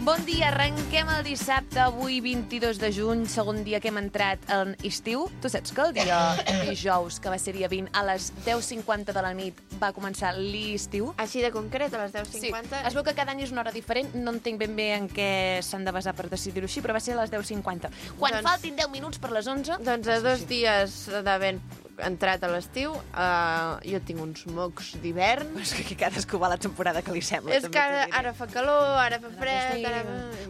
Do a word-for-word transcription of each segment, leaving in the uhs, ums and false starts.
Bon dia, arrenquem el dissabte, avui vint-i-dos de juny, segon dia que hem entrat en estiu. Tu saps que el dia dijous, que va ser dia vint, a les deu cinquanta de la nit va començar l'estiu? Així de concret, a les deu cinquanta? Sí, es veu que cada any és una hora diferent, no entenc ben bé en què s'han de basar per decidir-ho així, però va ser a les deu cinquanta. Quan Doncs- faltin deu minuts per les onze... Doncs a dos dies d'haver entrat a l'estiu, uh, jo tinc uns mocs d'hivern. És que aquí cadascú va la temporada que li sembla. És també que ara, t'ho diré. ara fa calor, ara fa fred... Sí. Ara...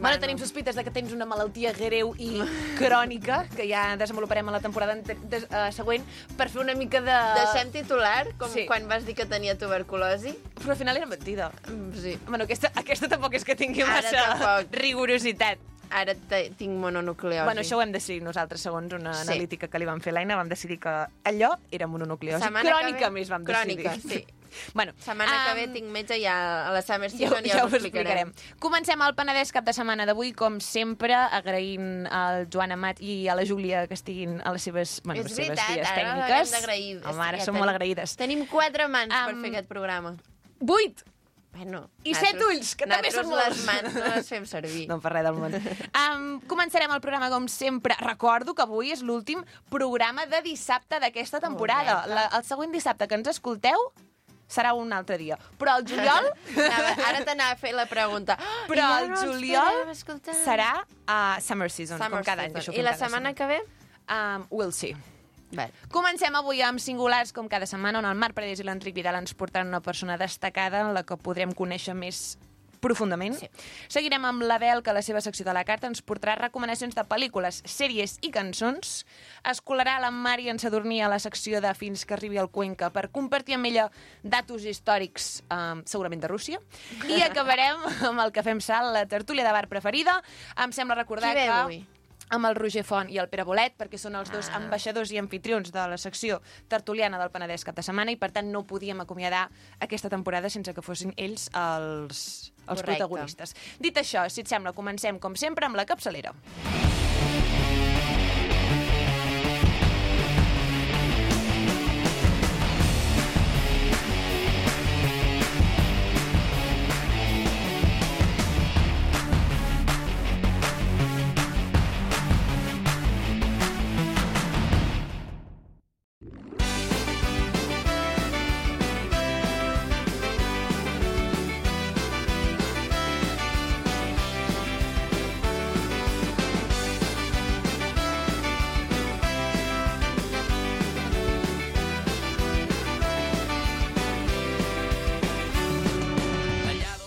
Bueno, tenim sospites de que tens una malaltia greu i crònica, que ja desenvoluparem a la temporada ente- de, uh, següent, per fer una mica de... Deixem titular, com Sí. quan vas dir que tenia tuberculosi. Però al final era mentida. Mm, Sí. Bueno, aquesta, aquesta tampoc és que tingui Ara massa tampoc. rigorositat. Ara te- tinc mononucleosi. Bueno, això ho hem decidit nosaltres, segons una Sí. analítica que li vam fer a l'Aina, vam decidir que allò era mononucleosi. Setmana que Crònica ve- més vam crònica, decidir. sí. Bueno, Setmana que ve em, tinc metge ja a la Summer Ja, Season, ja ja, ho explicarem. Comencem el Penedès cap de setmana d'avui, com sempre, agraint al Joan Amat i a la Júlia que estiguin a les seves, bueno, És les seves veritat, vies ara tècniques. l'hem d'agrair. Home, ara Ja som tenim- molt agraïdes. Tenim quatre mans per Am, fer aquest programa. Vuit! Bueno, I set ulls, que també són molts. les mans no les fem servir. No em fa res del món. Um, començarem el programa com sempre. Recordo que avui és l'últim programa de dissabte d'aquesta temporada. Correcte. La, el següent dissabte que ens escolteu serà un altre dia. Però el juliol... Anava, ara t'anava a fer la pregunta. Oh, Però i ja el no els juliol podem escoltar. serà uh, Summer Season, Summer com cada any. Season. que això I fem la cada setmana que ve? Um, we'll see. Vale. Comencem avui amb singulars, com cada setmana, on el Marc Paredes i l'Enric Vidal ens portaran una persona destacada en la que podrem conèixer més profundament. Sí. Seguirem amb l'Abel, que a la seva secció de la carta ens portarà recomanacions de pel·lícules, sèries i cançons. Es colarà la Mari en Sadurní a la secció de Fins que arribi al Cuenca per compartir amb ella datos històrics, eh, segurament de Rússia. I acabarem amb el que fem salt, la tertúlia de bar preferida. Em sembla recordar Qui ve que... avui? amb el Roger Font i el Pere Bolet, perquè són els dos Ah. ambaixadors i anfitrions de la secció tertuliana del Penedès cap de setmana, i per tant no podíem acomiadar aquesta temporada sense que fossin ells els, els Correcte. protagonistes. Dit això, si et sembla, comencem com sempre amb la capçalera.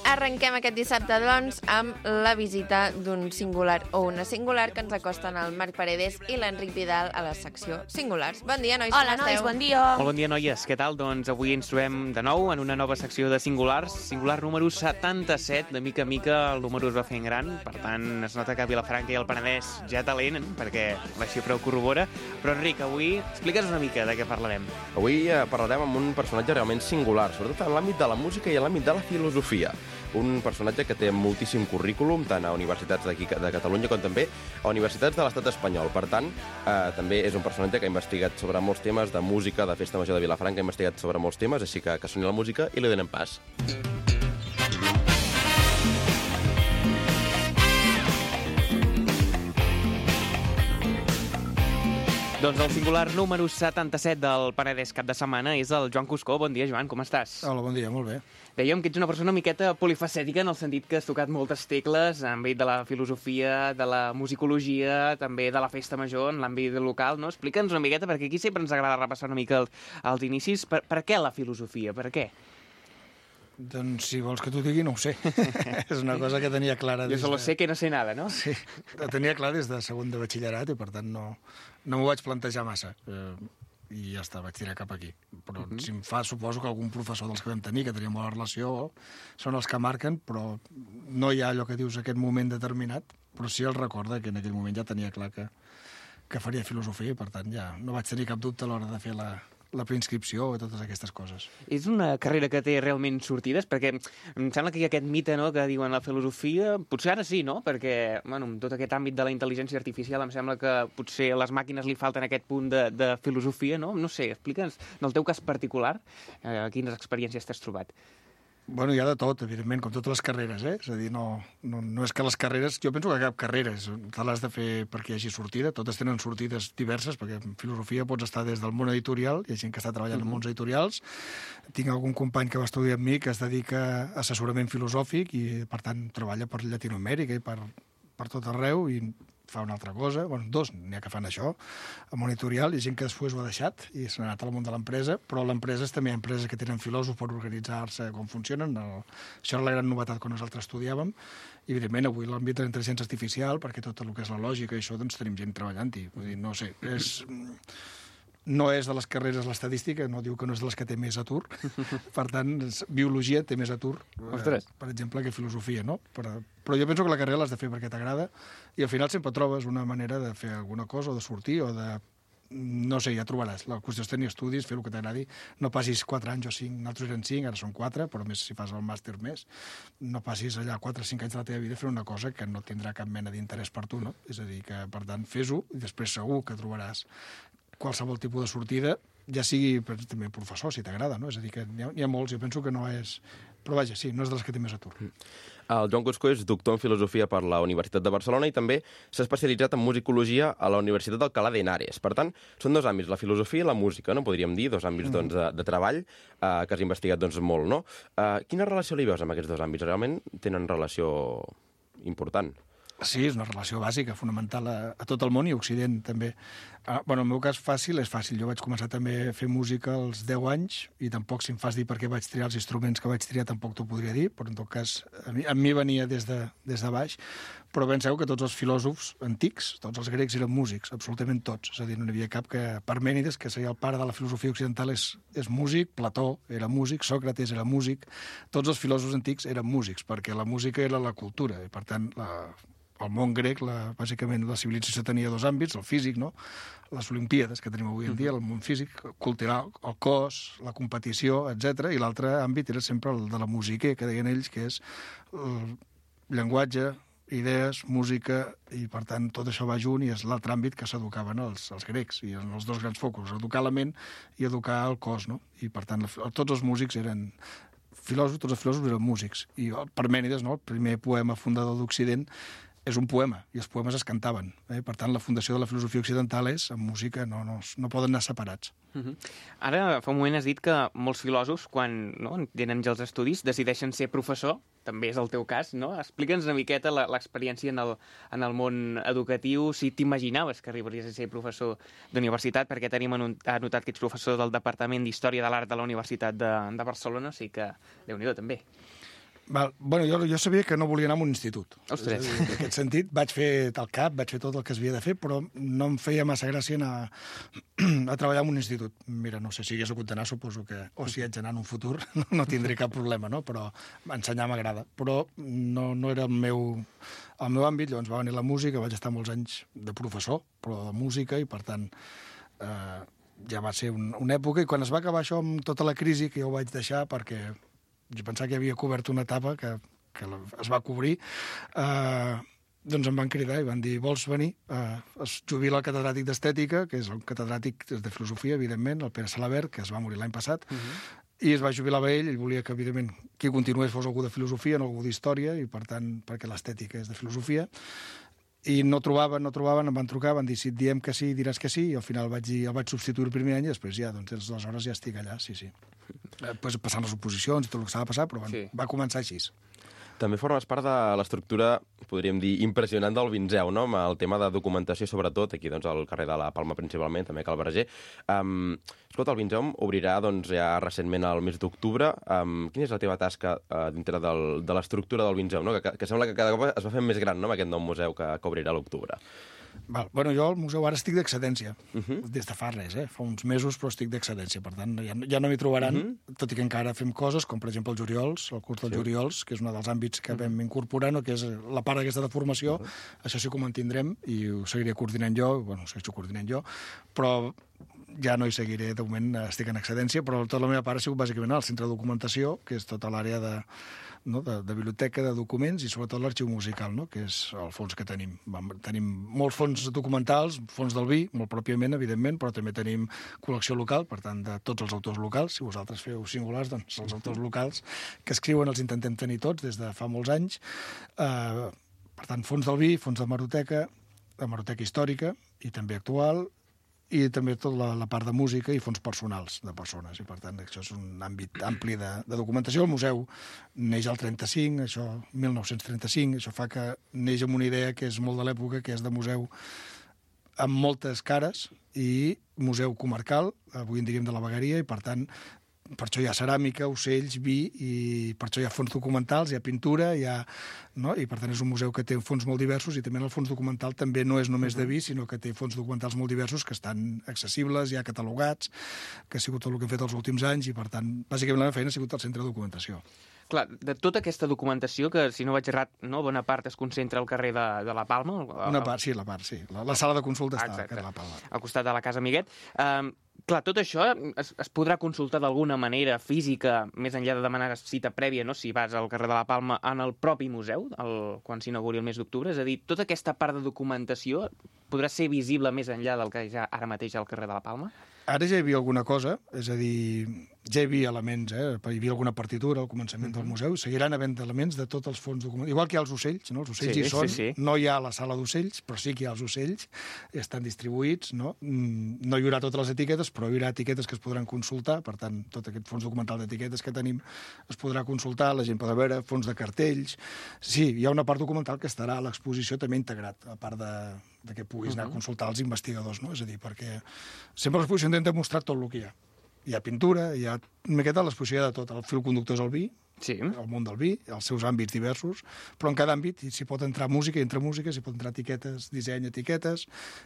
Arrenquem aquest dissabte, doncs, amb la visita d'un singular o una singular que ens acosten el Marc Paredes i l'Enric Vidal a la secció Singulars. Bon dia, nois, Hola, com nois, esteu? bon dia. Molt bon dia, noies. Què tal? Doncs avui ens trobem de nou en una nova secció de singulars. Singular número setanta-set. De mica a mica el número es va fent gran. Per tant, es nota que a Vilafranca i el Penedès ja talent, perquè la xifra ho corrobora. Però, Enric, avui explica'ns una mica de què parlarem. Avui eh, parlarem amb un personatge realment singular, sobretot en l'àmbit de la música i en l'àmbit de la filosofia. Un personatge que té moltíssim currículum, tant a universitats d'aquí de Catalunya com també a universitats de l'estat espanyol. Per tant, eh, també és un personatge que ha investigat sobre molts temes de música, de Festa Major de Vilafranca, ha investigat sobre molts temes, així que que soni la música i li donem pas. Doncs el singular número setanta-set del Penedès cap de setmana és el Joan Cuscó. Bon dia, Joan, com estàs? Hola, bon dia, molt bé. Dèiem que ets una persona una miqueta polifacètica en el sentit que has tocat moltes tecles en l'àmbit de la filosofia, de la musicologia, també de la festa major, en l'àmbit local, no? Explica'ns una miqueta, perquè aquí sempre ens agrada repassar una mica el, els inicis. Per, per què la filosofia? Per què? Doncs si vols que t'ho digui, no ho sé. És una cosa que tenia clara Jo des solo de... sé que no sé nada, no? Sí, la tenia clar des de segon de batxillerat i per tant no, no m'ho vaig plantejar massa. Eh, I ja està, vaig tirar cap aquí. Però uh -huh. si em fa, suposo que algun professor dels que vam tenir, que tenia bona relació, són els que marquen, però no hi ha allò que dius aquest moment determinat, però sí el recorda que en aquell moment ja tenia clar que, que faria filosofia i per tant ja no vaig tenir cap dubte a l'hora de fer la, la preinscripció i totes aquestes coses. És una carrera que té realment sortides? Perquè em sembla que hi ha aquest mite, no?, que diuen la filosofia... Potser ara sí, no?, perquè, bueno, en tot aquest àmbit de la intel·ligència artificial em sembla que potser a les màquines li falten aquest punt de, de filosofia, no? No sé, explica'ns, en el teu cas particular, eh, quines experiències t'has trobat? Bueno, hi ha de tot, evidentment, com totes les carreres, eh? És a dir, no, no, no és que les carreres... Jo penso que cap carrera és, te l'has de fer perquè hi hagi sortida, totes tenen sortides diverses, perquè en filosofia pots estar des del món editorial, hi ha gent que està treballant uh-huh. en mons editorials, tinc algun company que va estudiar amb mi que es dedica a assessorament filosòfic i, per tant, treballa per Llatinoamèrica i per, per tot arreu i fa una altra cosa, bueno, dos n'hi ha que fan això, a monitorial, hi ha gent que després ho ha deixat i s'ha anat al món de l'empresa, però l'empresa també hi ha empreses que tenen filòsofs per organitzar-se com funcionen, el, això era la gran novetat quan nosaltres estudiàvem, i evidentment avui l'àmbit de la intel·ligència artificial, perquè tot el que és la lògica i això, doncs tenim gent treballant-hi, vull dir, no sé, és... No és de les carreres l'estadística, no diu que no és de les que té més atur. Per tant, biologia té més atur, Ostres. eh, per exemple, que filosofia, no? Però, però jo penso que la carrera l'has de fer perquè t'agrada i al final sempre trobes una manera de fer alguna cosa o de sortir o de... No sé, ja trobaràs. La qüestió és tenir estudis, fer el que t'agradi. No passis quatre anys o cinc, nosaltres eren cinc, ara són quatre, però més si fas el màster més. No passis allà quatre o cinc anys de la teva vida fent una cosa que no tindrà cap mena d'interès per tu, no? És a dir, que per tant, fes-ho i després segur que trobaràs qualsevol tipus de sortida, ja sigui també professor, si t'agrada, no? És a dir, que n'hi ha, n'hi ha molts, jo penso que no és... Però vaja, sí, no és de les que té més atur. El Joan Cusco és doctor en Filosofia per la Universitat de Barcelona i també s'ha especialitzat en musicologia a la Universitat d'Alcalá de Henares. Per tant, són dos àmbits, la filosofia i la música, no? Podríem dir, dos àmbits doncs, de, de treball eh, que has investigat doncs, molt, no? Eh, quina relació li veus amb aquests dos àmbits? Realment tenen relació important? Sí, és una relació bàsica, fonamental a, a tot el món i a Occident, també. Ah, bueno, en el meu cas fàcil és fàcil. Jo vaig començar també a fer música als deu anys i tampoc, si em fas dir per què vaig triar els instruments que vaig triar, tampoc t'ho podria dir, però en tot cas a mi, a mi venia des de, des de baix. Però penseu que tots els filòsofs antics, tots els grecs eren músics, absolutament tots. És a dir, no n'hi havia cap que... Parmènides, que seria el pare de la filosofia occidental, és, és músic, Plató era músic, Sòcrates era músic, tots els filòsofs antics eren músics, perquè la música era la cultura, i per tant la... el món grec, la, bàsicament, la civilització tenia dos àmbits, el físic, no? Les olimpíades que tenim avui en dia, el món físic, cultural, el cos, la competició, etcètera. I l'altre àmbit era sempre el de la música, que deien ells, que és el llenguatge, idees, música, i per tant tot això va junt i és l'altre àmbit que s'educaven els, els grecs, i en els dos grans focus, educar la ment i educar el cos, no? I per tant tots els músics eren filòsofs, tots els filòsofs eren músics. I Parmènides, no? El primer poema fundador d'Occident, és un poema, i els poemes es cantaven. Eh? Per tant, la fundació de la filosofia occidental és, en música, no, no, no poden anar separats. Uh-huh. Ara, fa un moment has dit que molts filòsofs, quan no, tenen ja els estudis, decideixen ser professor, també és el teu cas, no? Explica'ns una miqueta l'experiència en, el, en el món educatiu, si t'imaginaves que arribaries a ser professor d'universitat, perquè tenim anotat que ets professor del Departament d'Història de l'Art de la Universitat de, de Barcelona, o sigui que, Déu-n'hi-do, també. Val. Bueno, jo, jo sabia que no volia anar a un institut. Ostres. Dir, en aquest sentit, vaig fer el cap, vaig fer tot el que es havia de fer, però no em feia massa gràcia anar a treballar en un institut. Mira, no sé, si hagués hagut d'anar, suposo que, o si haig d'anar en un futur, no tindré cap problema, no? Però ensenyar m'agrada. Però no, no era el meu, el meu àmbit, llavors va venir la música, vaig estar molts anys de professor, però de música, i per tant... Eh, ja va ser un, una època, i quan es va acabar això amb tota la crisi, que jo ho vaig deixar perquè jo pensava que havia cobert una etapa que, que es va cobrir, eh, doncs em van cridar i van dir, vols venir? Eh, es jubila el catedràtic d'Estètica, que és el catedràtic de Filosofia, evidentment, el Pere Salabert, que es va morir l'any passat, uh-huh. i es va jubilar a ell, ell volia que, evidentment, qui continués fos algú de Filosofia, no algú d'Història, i per tant, perquè l'estètica és de Filosofia, i no trobaven, no trobaven, em van trucar, van dir, si et diem que sí, diràs que sí, i al final vaig dir, el vaig substituir el primer any, i després ja, doncs, aleshores ja estic allà, sí, sí. Després passant les oposicions i tot el que s'ha de passar, però bueno, sí. Va començar així. També formes part de l'estructura, podríem dir, impressionant del Vinzeu, no? Amb el tema de documentació, sobretot, aquí doncs, al carrer de la Palma principalment, també a Cal Verger. Um, escolta, el Vinzeu obrirà doncs, ja recentment al mes d'octubre. Um, quina és la teva tasca uh, dintre del, de l'estructura del Vinzeu, no? que, que sembla que cada cop es va fent més gran, no?, amb aquest nou museu que, que obrirà a l'octubre. Val. Bueno, jo al museu ara estic d'excedència, uh Uh-huh. des de fa res, eh? Fa uns mesos, però estic d'excedència, per tant, ja, ja no m'hi trobaran, uh-huh. tot i que encara fem coses, com per exemple el Juriols, el curs dels sí. Juriols, que és un dels àmbits que uh-huh. vam incorporar, no? Que és la part aquesta de formació, uh-huh. això sí que ho mantindrem, i ho seguiré coordinant jo, bueno, ho segueixo coordinant jo, però ja no hi seguiré, de moment estic en excedència, però tota la meva part ha sigut bàsicament al centre de documentació, que és tota l'àrea de, no, de, de biblioteca, de documents i sobretot l'arxiu musical, no, que és el fons que tenim. Vam, tenim molts fons documentals, fons del vi, molt pròpiament, evidentment, però també tenim col·lecció local, per tant, de tots els autors locals. Si vosaltres feu singulars, doncs els autors locals que escriuen els intentem tenir tots des de fa molts anys. Eh, per tant, fons del vi, fons d'hemeroteca, hemeroteca històrica i també actual, i també tota la, la part de música i fons personals de persones. I, per tant, això és un àmbit ampli de, de documentació. El museu neix al trenta-cinc, això, mil nou-cents trenta-cinc, això fa que neix amb una idea que és molt de l'època, que és de museu amb moltes cares i museu comarcal, avui en diríem de la vegueria, i, per tant, per això hi ha ceràmica, ocells, vi, i per això hi ha fons documentals, hi ha pintura, hi ha, no? I per tant és un museu que té fons molt diversos, i també el fons documental també no és només de vi, sinó que té fons documentals molt diversos que estan accessibles, ja catalogats, que ha sigut tot el que hem fet els últims anys, i per tant, bàsicament la meva feina ha sigut al centre de documentació. Clar, de tota aquesta documentació, que si no vaig errat, no, bona part es concentra al carrer de, de la Palma. El... Una part, sí, la part, sí. La, la sala de consulta està Exacte. al carrer de la Palma. Al costat de la Casa Amiguet. Um, clar, tot això es, es podrà consultar d'alguna manera física, més enllà de demanar cita prèvia, no?, si vas al carrer de la Palma, en el propi museu, el, quan s'inauguri el mes d'octubre. És a dir, tota aquesta part de documentació podrà ser visible més enllà del que ja ara mateix al carrer de la Palma? Ara ja hi havia alguna cosa, és a dir, ja hi havia elements, eh? Hi havia alguna partitura al començament del museu, seguiran havent elements de tots els fons documentals. Igual que hi ha els ocells, no? Els ocells sí, hi són, sí, sí. No hi ha la sala d'ocells, però sí que hi ha els ocells, estan distribuïts, no? No hi haurà totes les etiquetes, però hi haurà etiquetes que es podran consultar, per tant, tot aquest fons documental d'etiquetes que tenim es podrà consultar, la gent podrà veure, fons de cartells... Sí, hi ha una part documental que estarà a l'exposició també integrat, a part de, de que puguis anar a consultar els investigadors, no? És a dir, perquè sempre l'exposició intenta mostrar tot el que hi ha. Hi ha pintura, hi ha una miqueta l'exposició de tot. El fil conductor és el vi, sí. El món del vi, els seus àmbits diversos, però en cada àmbit s'hi pot entrar música, i entre música s'hi pot entrar etiquetes, disseny, etiquetes,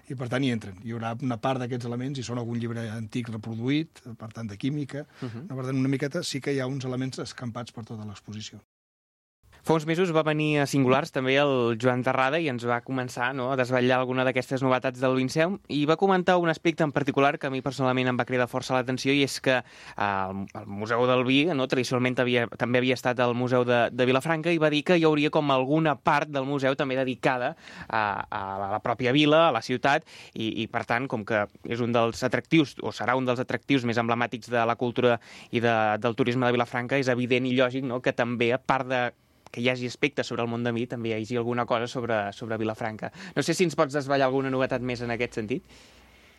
i per tant hi entren. Hi haurà una part d'aquests elements, i són algun llibre antic reproduït, per tant de química, uh -huh. Per tant una miqueta sí que hi ha uns elements escampats per tota l'exposició. Fa uns mesos va venir a Singulars també el Joan Terrada i ens va començar, no?, a desvetllar alguna d'aquestes novetats del Vinceum, i va comentar un aspecte en particular que a mi personalment em va cridar força l'atenció, i és que eh, el, el Museu del Vi, no?, tradicionalment havia, també havia estat al Museu de, de Vilafranca, i va dir que hi hauria com alguna part del museu també dedicada a, a la pròpia vila, a la ciutat, i, i per tant, com que és un dels atractius, o serà un dels atractius més emblemàtics de la cultura i de, del turisme de Vilafranca, és evident i lògic, no?, que també, a part de que hi hagi aspectes sobre el món de mi, també hi hagi alguna cosa sobre, sobre Vilafranca. No sé si ens pots desvetllar alguna novetat més en aquest sentit?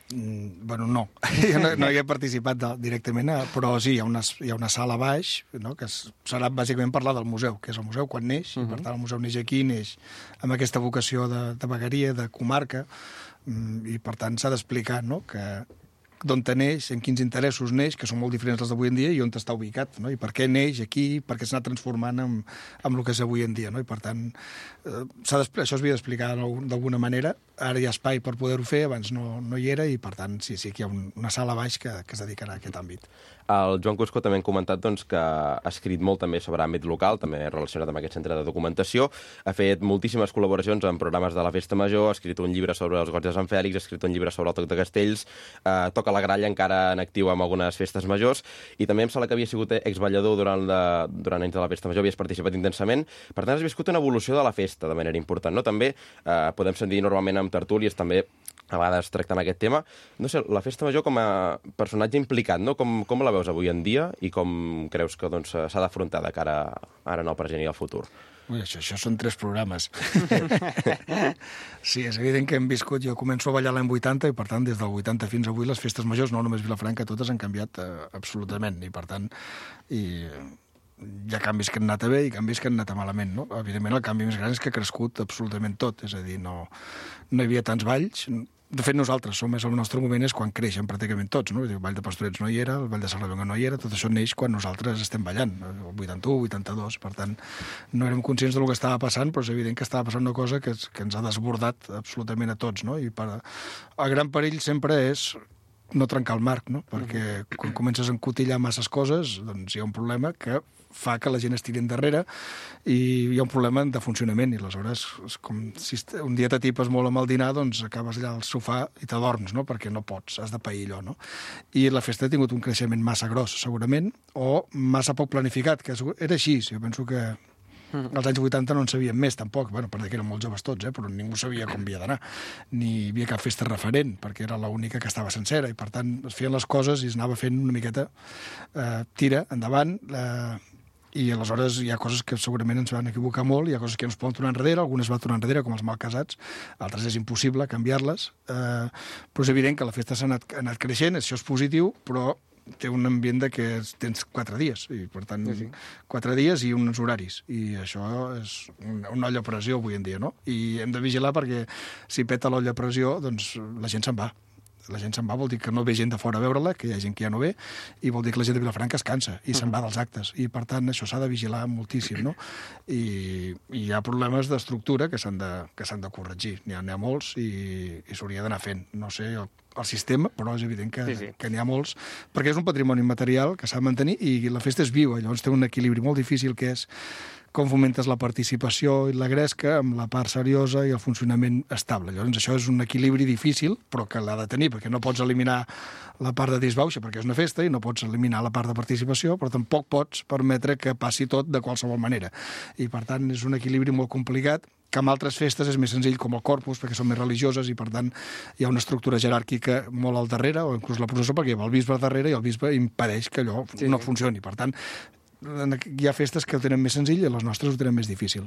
Mm, bueno, no. Jo no, no hi he participat de, directament, però sí, hi ha una, hi ha una sala a baix, no?, que serà bàsicament parlar del museu, que és el museu quan neix, uh -huh. i per tant el museu neix aquí, neix amb aquesta vocació de, de vegueria, de comarca, i per tant s'ha d'explicar, no?, que d'on neix, en quins interessos neix, que són molt diferents dels d'avui en dia, i on està ubicat, no? I per què neix aquí, per què s'ha anat transformant en, en el que és avui en dia, no? I per tant, eh, això s'havia d'explicar d'alguna manera. Ara hi ha espai per poder-ho fer, abans no, no hi era, i per tant, sí, sí que hi ha un, una sala a baix que, que es dedicarà a aquest àmbit. El Joan Cusco també hem comentat doncs, que ha escrit molt també sobre àmbit local, també relacionat amb aquest centre de documentació, ha fet moltíssimes col·laboracions en programes de la Festa Major, ha escrit un llibre sobre els goig de Sant Fèlix, ha escrit un llibre sobre el Toc de Castells, eh, toca la gralla encara en actiu amb algunes festes majors, i també em sembla que havia sigut exballador durant, la, durant anys de la Festa Major, havies participat intensament, per tant has viscut una evolució de la festa de manera important, no? També eh, podem sentir normalment amb tertúlies també a vegades tractant aquest tema. No sé, la Festa Major com a personatge implicat, no? Com, com la veus avui en dia i com creus que doncs, s'ha d'afrontar de cara ara en el present i al futur? Ui, això, això són tres programes. Sí, és evident que hem viscut... Jo començo a ballar l'any vuitanta, i per tant, des del vuitanta fins avui, les festes majors, no només Vilafranca, totes han canviat eh, absolutament, i per tant... I, hi ha canvis que han anat a bé i canvis que han anat a malament, no? Evidentment, el canvi més gran és que ha crescut absolutament tot, és a dir, no, no hi havia tants balls. De fet, nosaltres som, és el nostre moment és quan creixen pràcticament tots, no? El Ball de Pastorets no hi era, el Ball de Sarrabenga no hi era, tot això neix quan nosaltres estem ballant, el vuitanta-u, vuitanta-dos, per tant, no érem conscients del que estava passant, però és evident que estava passant una cosa que, que ens ha desbordat absolutament a tots, no? I per, el gran perill sempre és no trencar el marc, no? Perquè quan comences a encotillar masses coses, doncs hi ha un problema que fa que la gent es tiri endarrere i hi ha un problema de funcionament i aleshores, és com si un dia t'atipes molt amb el dinar, doncs acabes allà al sofà i t'adorms, no? Perquè no pots, has de pair allò, no? I la festa ha tingut un creixement massa gros, segurament, o massa poc planificat, que era així. Jo penso que als anys vuitanta no en sabíem més, tampoc, bueno, perquè érem molt joves tots, eh? Però ningú sabia com havia d'anar, ni hi havia cap festa referent, perquè era l'única que estava sencera, i per tant es feien les coses i es anava fent una miqueta eh, tira, endavant, eh, i aleshores hi ha coses que segurament ens van equivocar molt, hi ha coses que ens poden tornar enrere, algunes van tornar enrere, com els malcasats, altres és impossible canviar-les, eh, però és evident que la festa s'ha anat, ha anat creixent, això és positiu, però té un ambient de que tens quatre dies, i per tant, sí, sí. quatre dies i uns horaris, i això és una, una olla a pressió avui en dia, no? I hem de vigilar perquè si peta l'olla a pressió, doncs la gent se'n va. La gent se'n va, vol dir que no ve gent de fora a veure-la, que hi ha gent que ja no ve, i vol dir que la gent de Vilafranca es cansa i se'n va dels actes. I, per tant, això s'ha de vigilar moltíssim, no? I, i hi ha problemes d'estructura que s'han de, que s'han de corregir. N'hi ha, n'hi ha molts i, i s'hauria d'anar fent. No sé el, el sistema, però és evident que, sí, sí. que n'hi ha molts, perquè és un patrimoni material que s'ha de mantenir i la festa és viva. Llavors té un equilibri molt difícil, que és com fomentes la participació i la gresca amb la part seriosa i el funcionament estable. Llavors, això és un equilibri difícil, però que l'ha de tenir, perquè no pots eliminar la part de disbauxa, perquè és una festa, i no pots eliminar la part de participació, però tampoc pots permetre que passi tot de qualsevol manera. I, per tant, és un equilibri molt complicat, que amb altres festes és més senzill, com el Corpus, perquè són més religioses i, per tant, hi ha una estructura jeràrquica molt al darrere, o inclús la processó, perquè hi ha el bisbe al darrere i el bisbe impedeix que allò sí, no funcioni. Per tant, hi ha festes que ho tenen més senzill i les nostres ho tenen més difícil.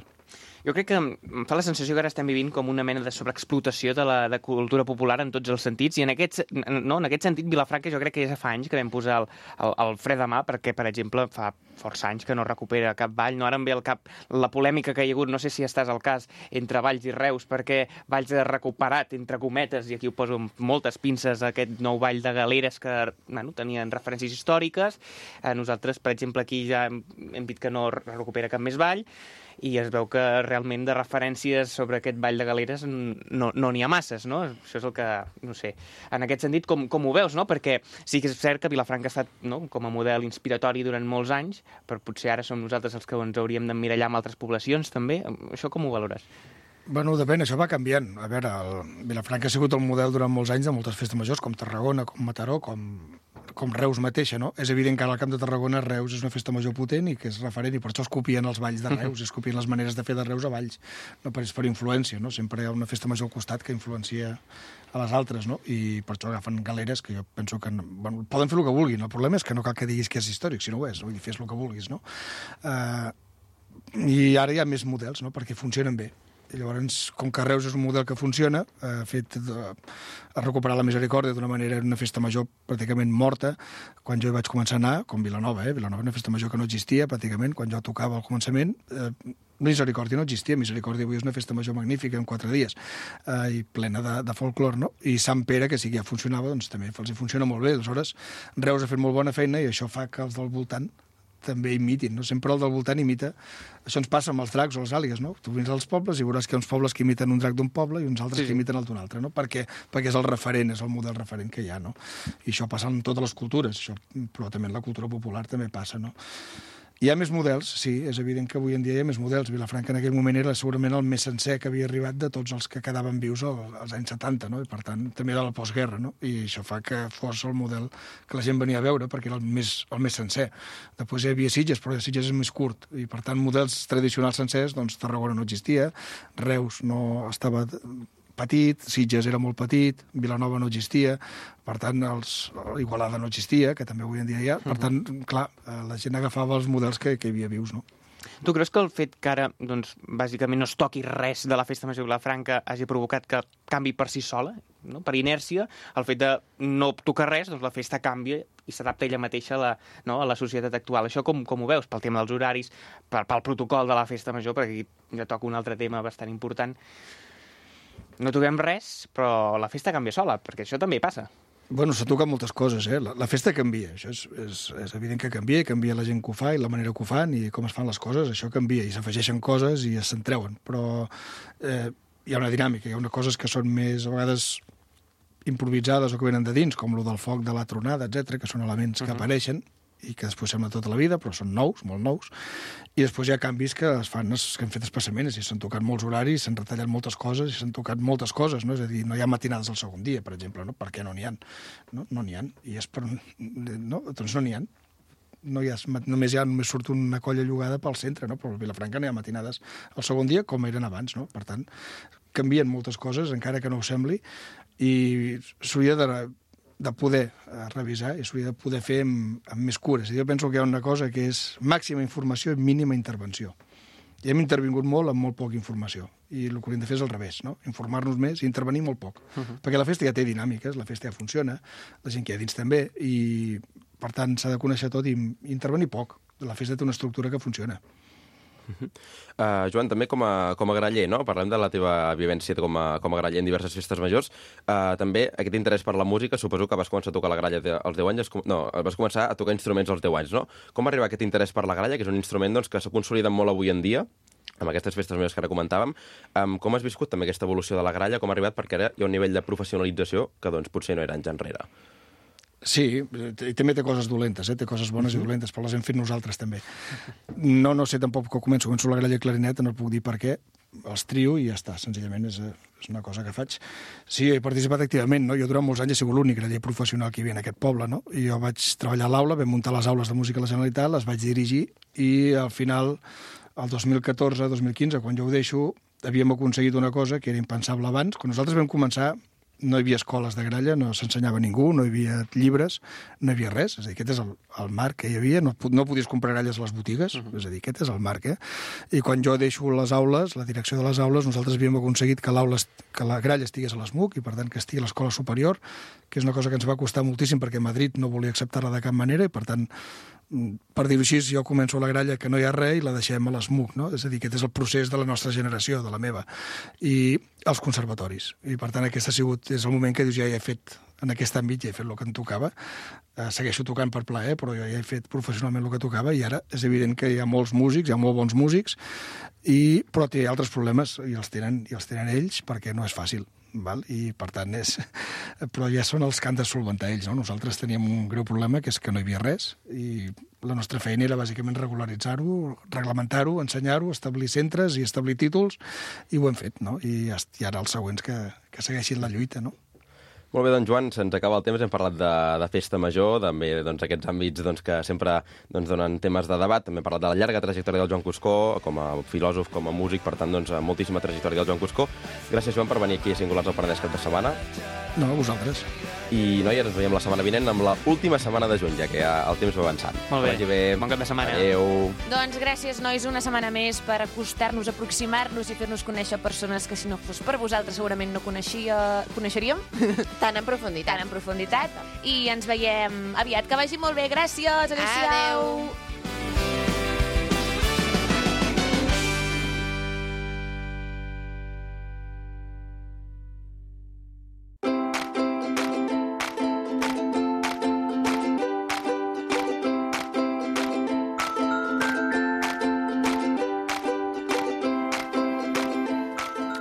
Jo crec que em fa la sensació que ara estem vivint com una mena de sobreexplotació de la de cultura popular en tots els sentits, i en aquest, no, en aquest sentit Vilafranca jo crec que ja fa anys que vam posar el, el, el fre de mà, perquè, per exemple, fa força anys que no recupera cap ball, no? Ara em ve al cap la polèmica que hi ha hagut, no sé si estàs al cas, entre Valls i Reus, perquè Valls ha recuperat, entre cometes, i aquí ho poso amb moltes pinces, aquest nou ball de galeres que bueno, tenien referències històriques. Eh, nosaltres, per exemple, aquí ja hem, hem dit que no recupera cap més ball, i es veu que realment de referències sobre aquest ball de galeres no no n'hi ha masses, no? Això és el que, no sé, en aquest sentit, com, com ho veus, no? Perquè sí que és cert que Vilafranca ha estat, no, com a model inspiratori durant molts anys, però potser ara som nosaltres els que ens hauríem d'emmirallar amb altres poblacions, també. Això com ho valores? Bueno, depèn, això va canviant. A veure, el Vilafranca ha sigut el model durant molts anys de moltes festes majors, com Tarragona, com Mataró, com, com Reus mateixa, no? És evident que ara al Camp de Tarragona Reus és una festa major potent i que és referent, i per això es copien els balls de Reus, es copien les maneres de fer de Reus a Valls. No per, per influència, no? Sempre hi ha una festa major al costat que influencia a les altres, no? I per això agafen galeres que jo penso que... No, bueno, poden fer el que vulguin, el problema és que no cal que diguis que és històric, si no ho és, vull dir, fes el que vulguis, no? Uh, I ara hi ha més models, no? Perquè funcionen bé. I llavors, com que Reus és un model que funciona, ha fet de, ha recuperat la misericòrdia d'una manera, era una festa major pràcticament morta, quan jo hi vaig començar a anar, com Vilanova, eh? Vilanova una festa major que no existia, pràcticament, quan jo tocava al començament, eh, Misericòrdia no existia, Misericòrdia avui és una festa major magnífica en quatre dies, eh, i plena de, de folclor, no? I Sant Pere, que sí que ja funcionava, doncs també els hi funciona molt bé. Aleshores, Reus ha fet molt bona feina i això fa que els del voltant també imitin, no? Sempre el del voltant imita. Això ens passa amb els dracs o les àligues, no? Tu vins als pobles i veuràs que hi ha uns pobles que imiten un drac d'un poble i uns altres sí, sí. que imiten el d'un altre, no? Perquè, perquè és el referent, és el model referent que hi ha, no? I això passa en totes les cultures, això, però també en la cultura popular també passa, no? Hi ha més models, sí, és evident que avui en dia hi ha més models. Vilafranca en aquell moment era segurament el més sencer que havia arribat de tots els que quedaven vius als anys setanta, no? I per tant també de la postguerra, no? I això fa que fos el model que la gent venia a veure perquè era el més, el més sencer. Després hi havia Sitges, però Sitges és més curt, i per tant models tradicionals sencers, doncs Tarragona no existia, Reus no estava petit, Sitges era molt petit, Vilanova no existia, per tant, els, Igualada no existia, que també avui en dia hi ha. Per tant, clar, la gent agafava els models que, que hi havia vius, no? Tu creus que el fet que ara, doncs, bàsicament no es toqui res de la Festa Major de Vilafranca hagi provocat que canvi per si sola, no? Per inèrcia, el fet de no tocar res, doncs la festa canvia i s'adapta ella mateixa a la, no, a la societat actual. Això com, com ho veus? Pel tema dels horaris, per, pel protocol de la Festa Major, perquè aquí ja toca un altre tema bastant important. No toquem res, però la festa canvia sola, perquè això també passa. Bueno, s'ha tocat moltes coses, eh? La, la festa canvia, això és, és, és evident que canvia, canvia la gent que ho fa i la manera que ho fan i com es fan les coses, això canvia, i s'afegeixen coses i se'n treuen, però eh, hi ha una dinàmica, hi ha unes coses que són més, a vegades, improvisades o que venen de dins, com lo del foc, de la tronada, etcètera, que són elements que uh-huh. apareixen, i que després sembla tota la vida, però són nous, molt nous, i després hi ha canvis que es fan, que han fet espassaments, i s'han tocat molts horaris, s'han retallat moltes coses, i s'han tocat moltes coses, no? És a dir, no hi ha matinades al segon dia, per exemple, no? Per què no n'hi ha? No no n'hi ha, i és per... No? Doncs no n'hi ha. No hi ha, només hi ha, només surt una colla llogada pel centre, no? Però a Vilafranca no hi ha matinades al segon dia com eren abans, no? Per tant, canvien moltes coses, encara que no ho sembli, i s'hauria de de poder eh, revisar i s'hauria de poder fer amb, amb més cures. I jo penso que hi ha una cosa que és màxima informació i mínima intervenció. I hem intervingut molt amb molt poca informació. I el que hauríem de fer és al revés, no? Informar-nos més i intervenir molt poc. Uh -huh. Perquè la festa ja té dinàmiques, la festa ja funciona, la gent que hi ha dins també, i per tant s'ha de conèixer tot i, i intervenir poc. La festa té una estructura que funciona. Uh, Joan, també com a, com a graller, no? Parlem de la teva vivència com a, com a graller en diverses festes majors. Uh, també aquest interès per la música, suposo que vas començar a tocar la gralla als deu anys, no, vas començar a tocar instruments als deu anys, no? Com arriba aquest interès per la gralla, que és un instrument doncs, que s'ha consolidat molt avui en dia, amb aquestes festes majors que ara comentàvem? Um, com has viscut també aquesta evolució de la gralla? Com ha arribat? Perquè ara hi ha un nivell de professionalització que doncs, potser no era anys enrere. Sí, i també té coses dolentes, eh? Té coses bones uh-huh. i dolentes, però les hem fet nosaltres també. No, no sé tampoc que començo, començo la gralla i clarineta, no puc dir per què, els trio i ja està, senzillament és, és una cosa que faig. Sí, he participat activament, no? Jo durant molts anys he sigut l'únic graller professional que hi havia en aquest poble, no? I jo vaig treballar a l'aula, vam muntar les aules de música a la Generalitat, les vaig dirigir i al final, el dos mil catorze dos mil quinze, quan jo ho deixo, havíem aconseguit una cosa que era impensable abans. Quan nosaltres vam començar, no hi havia escoles de gralla, no s'ensenyava ningú, no hi havia llibres, no hi havia res. És a dir, aquest és el, el marc que hi havia. No, no podies comprar gralles a les botigues, uh -huh. és a dir, aquest és el marc, eh? I quan jo deixo les aules, la direcció de les aules, nosaltres havíem aconseguit que, que la gralla estigués a l'E S M U C i, per tant, que estigui a l'escola superior, que és una cosa que ens va costar moltíssim perquè Madrid no volia acceptar-la de cap manera i, per tant, per dir-ho així, jo començo la gralla que no hi ha res i la deixem a l'E S M U C, no? És a dir, aquest és el procés de la nostra generació, de la meva. I els conservatoris. I, per tant, aquest ha sigut, és el moment que dius, ja he fet, en aquest àmbit ja he fet el que em tocava. Eh, segueixo tocant per plaer, però jo ja he fet professionalment el que tocava i ara és evident que hi ha molts músics, hi ha molt bons músics, i, però té altres problemes i els tenen, i els tenen ells perquè no és fàcil. Val? I per tant és... però ja són els que han de solventar ells, no? Nosaltres teníem un greu problema, que és que no hi havia res, i la nostra feina era bàsicament regularitzar-ho, reglamentar-ho, ensenyar-ho, establir centres i establir títols, i ho hem fet, no? I, i ara els següents que, que segueixin la lluita, no? Molt bé, doncs, Joan, se'ns acaba el temps. Hem parlat de, de festa major, també doncs, aquests àmbits doncs, que sempre doncs, donen temes de debat. També hem parlat de la llarga trajectòria del Joan Cuscó, com a filòsof, com a músic, per tant, doncs, moltíssima trajectòria del Joan Cuscó. Gràcies, Joan, per venir aquí a Singulars al Penedès cap de setmana. No, a vosaltres. I, noies, ens veiem la setmana vinent amb l'última setmana de juny, ja que ja el temps va avançant. Molt bé, bé. Bon cap de setmana. Adéu. Doncs gràcies, nois, una setmana més per acostar-nos, aproximar-nos i fer-nos conèixer persones que, si no fos per vosaltres, segurament no coneixia... coneixeríem. Tan en profunditat. Tan en profunditat. I ens veiem aviat. Que vagi molt bé. Gràcies. Adéu-siau. Adéu.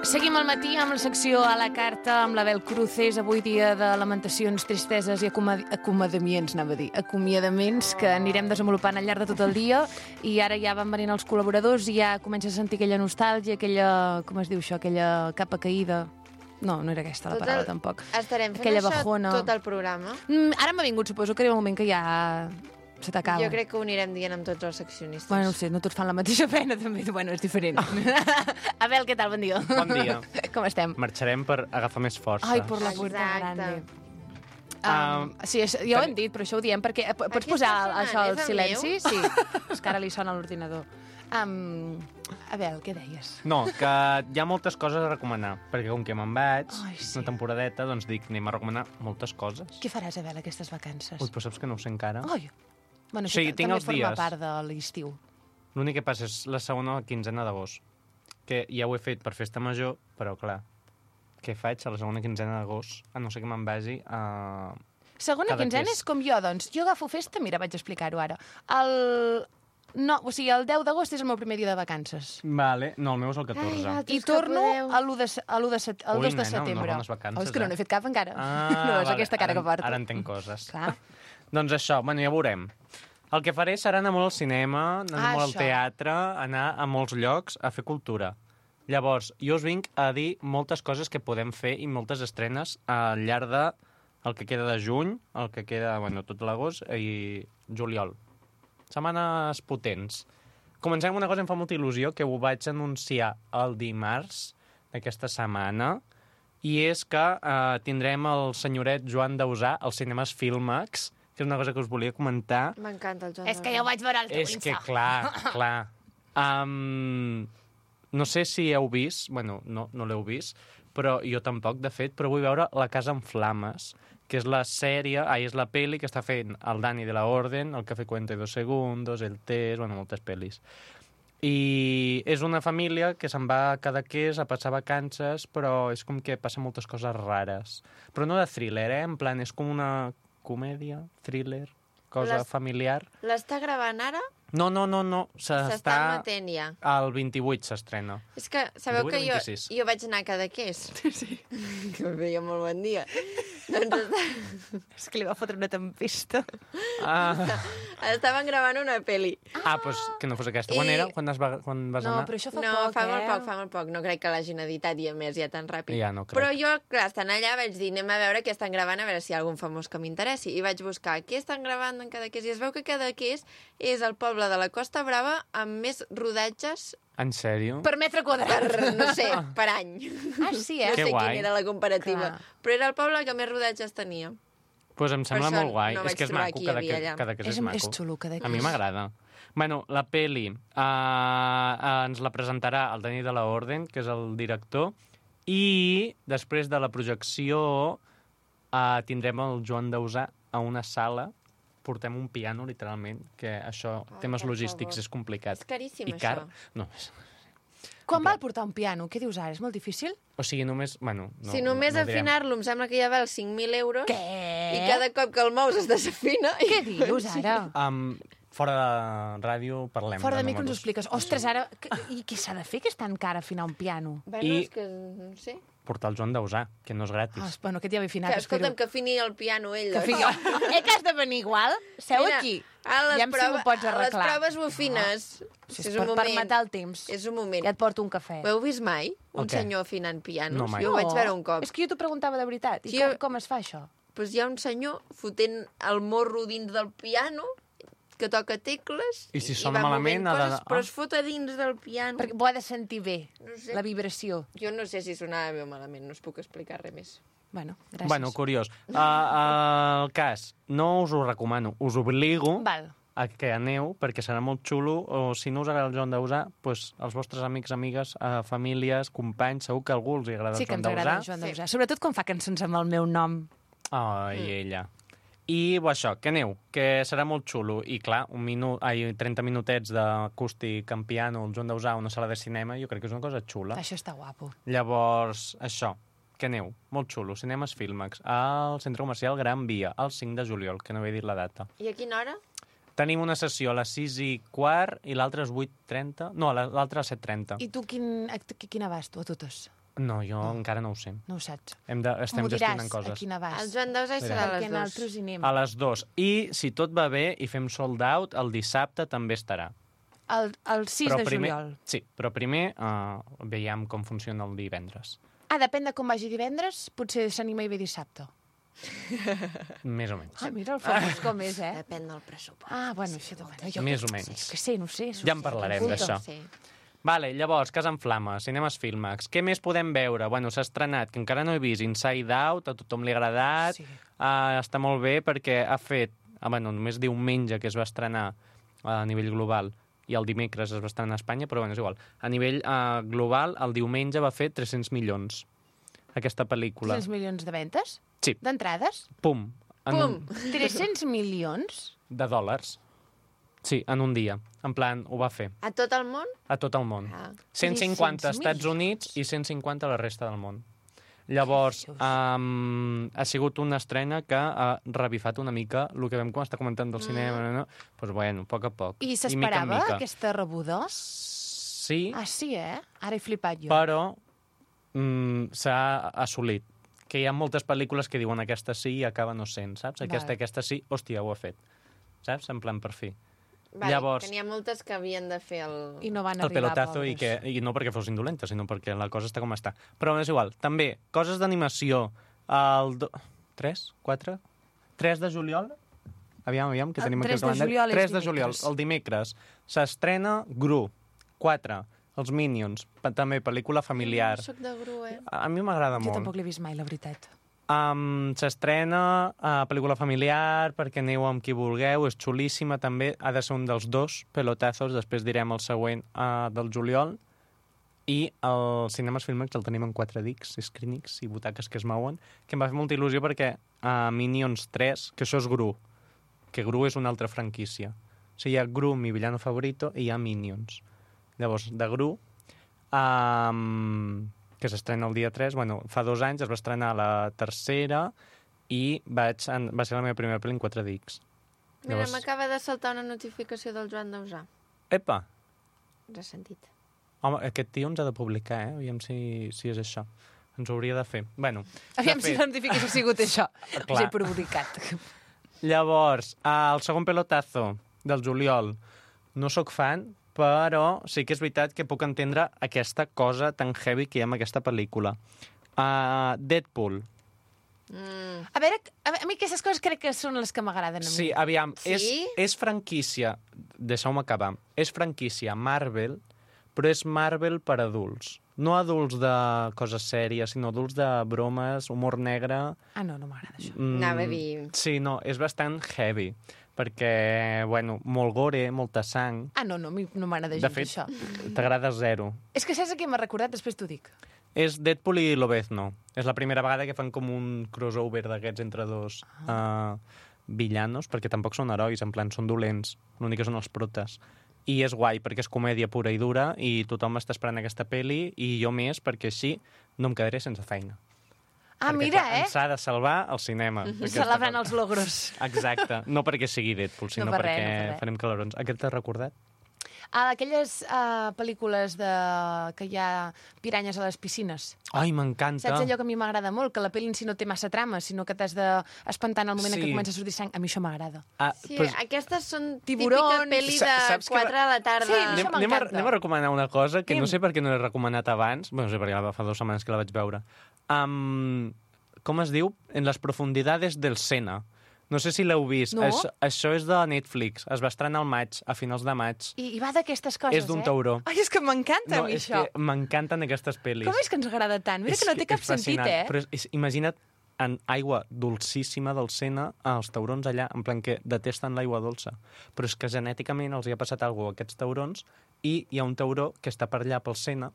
Seguim al matí amb la secció a la carta amb l'Abel Cruces, avui dia de lamentacions, tristeses i acomod acomiadaments, anava a dir, acomiadaments que anirem desenvolupant al llarg de tot el dia, i ara ja van venint els col·laboradors i ja comences a sentir aquella nostàlgia, aquella, com es diu això, aquella capa caïda. No, no era aquesta la Tot paraula, el- tampoc. Estarem fent Aquella això bajona. tot el programa. Mm, ara m'ha vingut, suposo que arriba un moment que ja se t'acaba. Jo crec que ho anirem dient amb tots els seccionistes. Bueno, no ho sé, no tots fan la mateixa feina, també. Bueno, és diferent. Abel, què tal? Bon dia. Bon dia. Com estem? Marxarem per agafar més força. Ai, por la puerta Exacte. grande. Ah, Um, sí, és, ja ho hem dit, però això ho diem perquè... eh, Pots Aquí posar està sonant, això al és el silenci? meu? Sí, és que ara li sona a l'ordinador. Um, Abel, què deies? No, que hi ha moltes coses a recomanar, perquè com que me'n vaig, Ai, sí. una temporadeta, doncs dic, anem a recomanar moltes coses. Què faràs, Abel, aquestes vacances? Ui, però saps que no ho sé encara. Ai, bueno, Sí, això tinc també els forma dies. part de l'estiu. L'únic que passa és la segona quinzena d'agost, que ja ho he fet per festa major, però clar, què faig a la segona quinzena d'agost, a no ser que me'n vagi a... Segona Cada quinzena tres. és com jo, doncs. Jo agafo festa, mira, vaig explicar-ho ara. El... No, o sigui, el deu d'agost és el meu primer dia de vacances. Vale, no, el meu és el catorze. Ai, I vosaltres que torno podeu. a l'u de, se- a l'u de, set, al Ui, dos de nena, setembre. unes bones vacances, oh, és que no eh? n'he fet cap encara. Ah, no, és vale, aquesta cara ara, que porto. Ara entenc coses. Clar. Doncs això, bueno, ja veurem. El que faré serà anar molt al cinema, anar Ah, molt al això. teatre, anar a molts llocs a fer cultura. Llavors, jo us vinc a dir moltes coses que podem fer i moltes estrenes al llarg de el que queda de juny, el que queda, bueno, tot l'agost i juliol. Setmanes potents. Comencem amb una cosa que em fa molta il·lusió, que ho vaig anunciar el dimarts d'aquesta setmana, i és que eh, tindrem el senyoret Joan Dausà als cinemes Filmax, que és una cosa que us volia comentar. M'encanta el Joan És que ja ho vaig veure al teu És que, Insta. clar, clar. Um, no sé si heu vist, bueno, no, no l'heu vist, però jo tampoc, de fet, però vull veure La casa en flames, que és la sèrie, ai, és la peli que està fent el Dani de la Orden, el Café cuarenta y dos segundos, el Test, bueno, moltes pel·lis. I és una família que se'n va a Cadaqués a passar vacances, però és com que passa moltes coses rares. Però no de thriller, eh? En plan, és com una comèdia, thriller, cosa Les- familiar. L'està gravant ara? No, no, no, no. S'està S'està... emetent ja. El vint-i-vuit s'estrena. És que sabeu divuit o que jo, vint-i-sis? jo vaig anar a Cadaqués. Sí. Que em feia molt bon dia. doncs està... És que li va fotre una tempesta. Ah, estaven gravant una pel·li. ah pues que no fos aquesta. Quan I- era? Quan, es va, quan vas No, anar? però això fa no, poc, fa eh? molt poc, fa molt poc. No crec que l'hagin editat i a més ja tan ràpid. Ja no crec. Però jo, clar, estant allà vaig dir, anem a veure què estan gravant, a veure si hi ha algun famós que m'interessi. I vaig buscar què estan gravant en Cadaqués. I es veu que Cadaqués és el poble de la Costa Brava amb més rodatges En sèrio? Per metre quadrat. per, no sé, per any. Ah, sí, No eh? Que sé guai. quina era la comparativa. Clar. Però era el poble que més rodatges tenia. Pues em sembla això molt guai. no és vaig que és trobar maco, qui hi cada, havia que, allà. cada que és, És, maco. és xulo, Cadaqués. A mi m'agrada. Bueno, la peli uh, uh, ens la presentarà el Dani de la Orden, que és el director, i després de la projecció uh, tindrem el Joan Dausà a una sala. Portem un piano, literalment, que això, Ai, temes per logístics, favor. és complicat. És caríssim, I car. això. No, és... Quan val portar un piano? Què dius ara? És molt difícil? O sigui, només... Bueno, no, si només no, no direm. afinar-lo em sembla que ja val cinc mil euros. Què? I cada cop que el mous es desafina... Què dius ara? Um, fora de ràdio parlem Fora de de mi que ens ho números. expliques. Ostres, ara... que- I què s'ha de fer que és tan car afinar un piano? Bueno, I- és que no sé. Portar el Joan Dausà, que no és gratis. Ah, bueno, aquest ja ve afinat. Que, espero. escolta'm, que afini el piano ell. Que doncs. fiqui... Eh, que has de venir igual? Seu Mira, aquí. A les, Aviam si prova, m'ho pots a les arreglar. proves bufines. Si és és un per, per moment. matar el temps. És un moment. Ja et porto un cafè. Ho heu vist mai? Un El què? senyor afinant pianos? No, mai. Jo ho vaig veure un cop. És que jo t'ho preguntava de veritat. I Sí, com, jo- com es fa això? Pues hi ha un senyor fotent el morro dins del piano, que toca tecles... I si sona va malament, movent ha de- coses, ah. però es fot a dins del piano. Perquè ho ha de sentir bé, No sé. la vibració. Jo no sé si sonava bé o malament, no us puc explicar res més. Bueno, gràcies. Bueno, curiós. Uh, uh, el cas, no us ho recomano, us obligo Val. a que aneu, perquè serà molt xulo, o si no us agrada el Joan Dausà, pues, els vostres amics, amigues, uh, famílies, companys, segur que a algú els hi agrada Sí el que Joan ens agrada el Dausà. Joan Sí. Dausà. Sobretot quan fa cançons amb el meu nom. Ai, Mm. ella. I bo, això, que aneu, que serà molt xulo. I clar, un minut, ai, trenta minutets d'acústic en piano, el Joan Dausà, una sala de cinema, jo crec que és una cosa xula. Això està guapo. Llavors, això, que aneu, molt xulo, Cinemes Filmax, al Centre Comercial Gran Via, el cinc de juliol, que no he dit la data. I a quina hora? Tenim una sessió a les sis i quart i l'altra és vuit trenta. No, la- l'altra a les set trenta. I tu quin, a qui- quina vas, tu, a totes? No, jo encara no ho sé. No ho saps. Hem de, estem M'ho diràs, gestionant a coses. quina vas. El Joan Dausà hi serà a Perquè les nosaltres dues. hi anem. A les dues. I, si tot va bé i fem sold out, el dissabte també estarà. El, el sis de primer, juliol. Sí, però primer uh, veiem com funciona el divendres. Ah, depèn de com vagi divendres, potser s'anima i ve dissabte. Més o menys. Ah, mira el famós com és, eh? Depèn del pressupost. Ah, bueno, això... Bueno, jo, Més o menys. Jo que sé, no ho sé. Ja en parlarem Apunta. d'això. Sí. Vale, llavors, Casa en Flames, Cinemes Filmax. Què més podem veure? Bueno, s'ha estrenat, que encara no he vist, Inside Out, a tothom li ha agradat. Sí. Uh, està molt bé perquè ha fet, ah, bueno, només diumenge que es va estrenar a nivell global i el dimecres es va estrenar a Espanya, però bueno, és igual. A nivell uh, global, el diumenge va fer tres-cents milions, aquesta pel·lícula. tres milions de ventes? Sí. D'entrades? Pum. En Pum! Un, tres-cents milions? de dòlars. Sí, en un dia. En plan, ho va fer. A tot el món? A tot el món. Ah. cent cinquanta als tres-cents Estats Units i cent cinquanta a la resta del món. Llavors, um, ha sigut una estrena que ha revifat una mica el que vam estar comentant del cinema. No? Doncs, pues, bueno, a poc a poc. I mica en s'esperava mica. aquesta rebuda? Sí, Ah, sí, eh? Ara he flipat jo. però mm, s'ha assolit. Que hi ha moltes pel·lícules que diuen aquesta sí i acaba no sent, saps? Aquesta, Vale. aquesta sí, hòstia, ho ha fet. saps? En plan, per fi. Vale, Llavors- que n'hi ha moltes que havien de fer el... I no van El arribar, pelotazo i, pobres. que, i no perquè fossin dolentes, sinó perquè la cosa està com està. Però és igual. També, coses d'animació. El... Do... tres? quatre? tres de juliol? Aviam, aviam, que El tenim aquí tres el de calendari. juliol és tres de juliol, dimecres. el dimecres. S'estrena Gru. quatre. Els Minions. Pa- També pel·lícula familiar. No soc de Gru, eh? A a mi m'agrada Jo molt. tampoc l'he vist mai, la veritat. Um, S'estrena uh, pel·lícula familiar perquè aneu amb qui vulgueu, és xulíssima també, ha de ser un dels dos pelotazos, després direm el següent uh, del juliol, i el Cinemes Filmex el tenim en quatre dics, screenings i butaques que es mouen, que em va fer molta il·lusió perquè uh, Minions tres, que això és Gru, que Gru és una altra franquícia. O sigui, hi ha Gru, mi villano favorito, i hi ha Minions. Llavors, de Gru, um, que s'estrena el dia tres, bueno, fa dos anys es va estrenar la tercera i vaig, en, va ser la meva primera pel·li en quatre dics. Mira, Llavors- m'acaba de saltar una notificació del Joan Dausà. Epa! Ressentit. Home, aquest tio ens ha de publicar, eh? Aviam si, si és això. Ens ho hauria de fer. Bueno, Aviam de si fet, la notificació ha sigut això. Us Clar. he publicat. Llavors, el segon pelotazo del juliol, no sóc fan, però sí que és veritat que puc entendre aquesta cosa tan heavy que hi ha en aquesta pel·lícula. Uh, Deadpool. Mm. A veure, a, a mi aquestes coses crec que són les que m'agraden a mi. Sí, aviam, Sí? és, és franquícia, deixeu-me acabar, és franquícia Marvel, però és Marvel per adults. No adults de coses sèries, sinó adults de bromes, humor negre... Ah, no, no m'agrada això. Mm, Anava a dir- Sí, no, és bastant heavy, perquè, bueno, molt gore, molta sang... Ah, no, no, a mi no m'agrada De gens fet, això. t'agrada zero. És que saps a què m'ha recordat? Després t'ho dic. És Deadpool i Lobezno. És la primera vegada que fan com un crossover d'aquests entre dos uh, villanos, perquè tampoc són herois, en plan, són dolents. L'únic que són els protes. I és guai, perquè és comèdia pura i dura, i tothom està esperant aquesta pel·li, i jo més, perquè així no em quedaré sense feina. Ah, Perquè, mira, clar, eh? ens ha de salvar el cinema. aquesta Celebrant pel·li. els logros. Exacte. No perquè sigui Deadpool, sinó per res, perquè no per res. farem calorons. Aquest t'has recordat? Ah, aquelles uh, pel·lícules de... que hi ha piranyes a les piscines. Ai, m'encanta. Saps allò que a mi m'agrada molt? Que la pel·li en si no té massa trama, sinó que t'has d'espantar en el moment en què Sí. comença a sortir sang. A mi això m'agrada. Ah, Sí, pues, aquestes són Tiburons. típica pel·li de Sa- saps que quatre a la tarda. Sí, anem, això anem, a, m'encanta. anem a recomanar una cosa que Anem. no sé per què no l'he recomanat abans. Bueno, no sé perquè fa dues setmanes que la vaig veure. Um, com es diu? En les profundidades del Sena. No sé si l'heu vist. No. Això, això és de Netflix. Es va estrenar al maig, a finals de maig. I, i va d'aquestes coses, És d'un eh? tauró. Ai, és que m'encanta a mi és això. que m'encanten aquestes pel·lis. Com és que ens agrada tant? Mira És que no té cap és sentit, fascinant. eh? Però és, és, imagina't en aigua dolcíssima del Sena, els taurons allà, en plan que detesten l'aigua dolça. Però és que genèticament els hi ha passat alguna cosa a aquests taurons i hi ha un tauró que està per allà pel Sena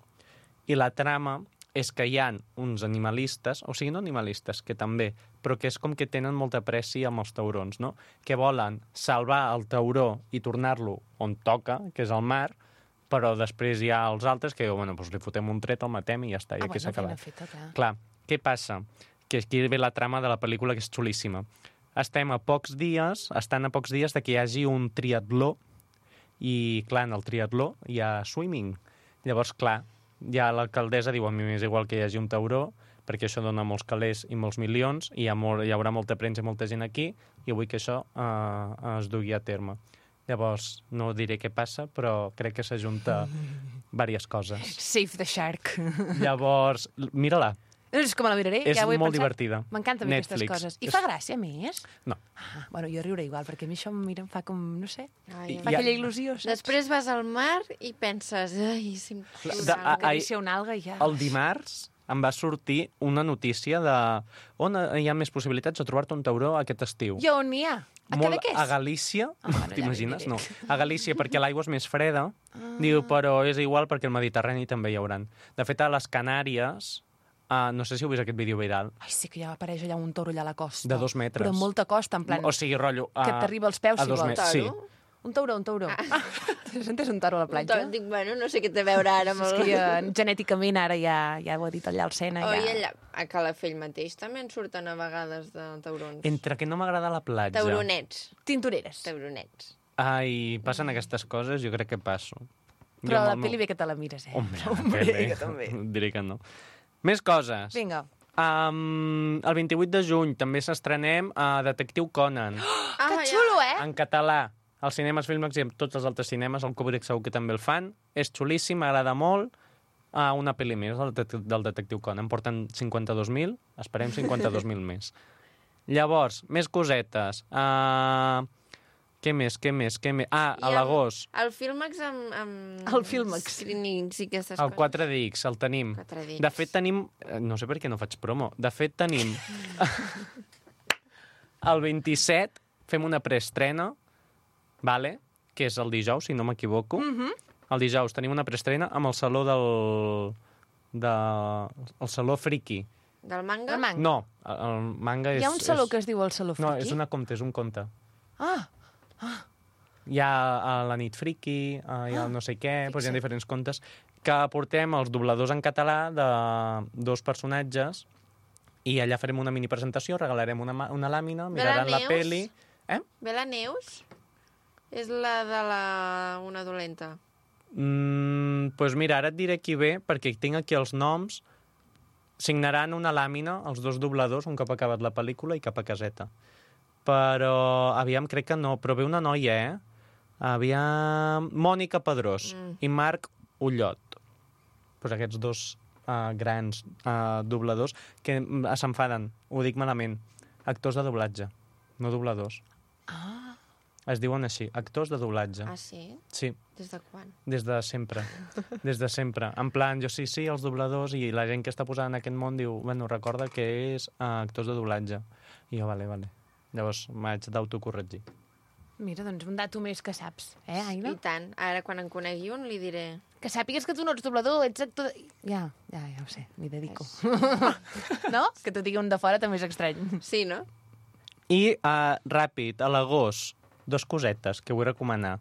i la trama és que hi ha uns animalistes, o sigui, no animalistes, que també, però que és com que tenen molta pressi amb els taurons, no? Que volen salvar el tauró i tornar-lo on toca, que és al mar, però després hi ha els altres que diuen, bueno, doncs li fotem un tret, el matem i ja està, i Ah, aquí s'ha bueno, feina acabat. feta, clar. Clar, què passa? Que aquí ve la trama de la pel·lícula, que és xulíssima. Estem a pocs dies, estan a pocs dies de que hi hagi un triatló, i, clar, en el triatló hi ha swimming. Llavors, clar, ja l'alcaldessa diu, a mi m'és igual que hi hagi un tauró, perquè això dona molts calés i molts milions, i hi, ha molt, hi haurà molta premsa i molta gent aquí, i vull que això eh, es dugui a terme. Llavors, no diré què passa, però crec que s'ajunta diverses coses. Save the shark. Llavors, mira-la. És com la miraré, És ja ho he molt pensat. divertida. M'encanten a mi aquestes Netflix. coses. I És- fa gràcia, a més? No. Ah, bueno, jo riuré igual, perquè a mi això mira, em fa com, no sé, Ai, fa I- aquella il·lusió, saps? Després vas al mar i penses, ai, si em De- cura a- algo". Acariciar una alga i ja... El dimarts em va sortir una notícia de on hi ha més possibilitats de trobar-te un tauró aquest estiu. I on n'hi ha? A Molt Cadaqués? a Galícia, Ah, bueno, ja t'imagines? m'hi No, diré. a Galícia perquè l'aigua és més freda, diu, però és igual perquè el Mediterrani també hi hauran. De fet, a les Canàries, uh, no sé si heu vist aquest vídeo viral, Ai, sí que ja apareix allà un toro allà a la costa. de dos metres. Però amb molta costa, en plan... O sigui, rotllo... Uh, que t'arriba als peus, a si dos vols. metres, sí. Toro? Un tauró, un tauró. Ah. Has entès un toro a la Un platja? to- Dic, bueno, no sé què té a veure ara amb És el... que ja, genèticament ara ja, ja ho ha dit allà al Sena. Oh, ja... i allà, a Calafell mateix també en surten a vegades de taurons. Entre que no m'agrada la platja... Tauronets. Tintoreres. Tauronets. Ai, passen aquestes coses, jo crec que passo. Però Jo la amb el pel·li bé que te la mires, eh? Home, Hombre, bé, bé. que també. Diré que no. Més coses. Vinga. Um, el vint-i-vuit de juny també s'estrenem a Detectiu Conan, Ah, Que xulo, eh? en català, als cinemes Filmax i en tots els altres cinemes, el Kubrick segur que també el fan. És xulíssim, m'agrada molt. Uh, una pel·li més del, det del Detectiu Conan. Porten cinquanta-dos mil, esperem cinquanta-dos mil més. Llavors, més cosetes. Uh, què més, què més, què més? Ah, I a amb- l'agost, El Filmax amb... amb... El Filmax. Screenings i aquestes el coses. quatre D X, el tenim. quatre D X. De fet, tenim... eh, No sé per què no faig promo. De fet, tenim... el vint-i-set fem una preestrena, vale? Que és el dijous, si no m'equivoco. Mm -hmm. El dijous tenim una preestrena amb el saló del... De... El saló friki. Del manga? El manga. No, el, el manga és... Hi ha un saló és... que es diu el Saló Friki? No, és una conte, és un conte. Ah, Hi ha a la nit friki, uh, hi ha no sé què, doncs hi ha diferents contes, que portem els dobladors en català de dos personatges i allà farem una mini presentació, regalarem una, ma- una làmina, miraran la Neus? peli... Eh? Bela Neus? És la de la... una dolenta. Mm, doncs mira, ara et diré qui ve, perquè tinc aquí els noms. Signaran una làmina, els dos dobladors, un cop acabat la pel·lícula i cap a caseta. Però, aviam, crec que no, però ve una noia, eh? Aviam... Mònica Pedrós mm. i Marc Ullot. Pues aquests dos uh, grans uh, dobladors que mm, s'enfaden, ho dic malament. Actors de doblatge, no dobladors. ah. Es diuen així, actors de doblatge. Ah, sí? Sí, Des de quan? des de sempre. Des de sempre. En plan, jo sí, sí, els dobladors, i la gent que està posant en aquest món diu, bueno, recorda que és uh, actors de doblatge. I jo, vale, vale. Llavors m'haig d'autocorregir. Mira, doncs un dato més que saps, eh, Aina? I tant. Ara, quan en conegui un, li diré... Que sàpigues que tu no ets doblador, ets actor... De... Ja, ja, ja ho sé, m'hi dedico. No? Que t'ho digui un de fora també és estrany. Sí, no? I, uh, ràpid, a l'agost, dos cosetes que vull recomanar.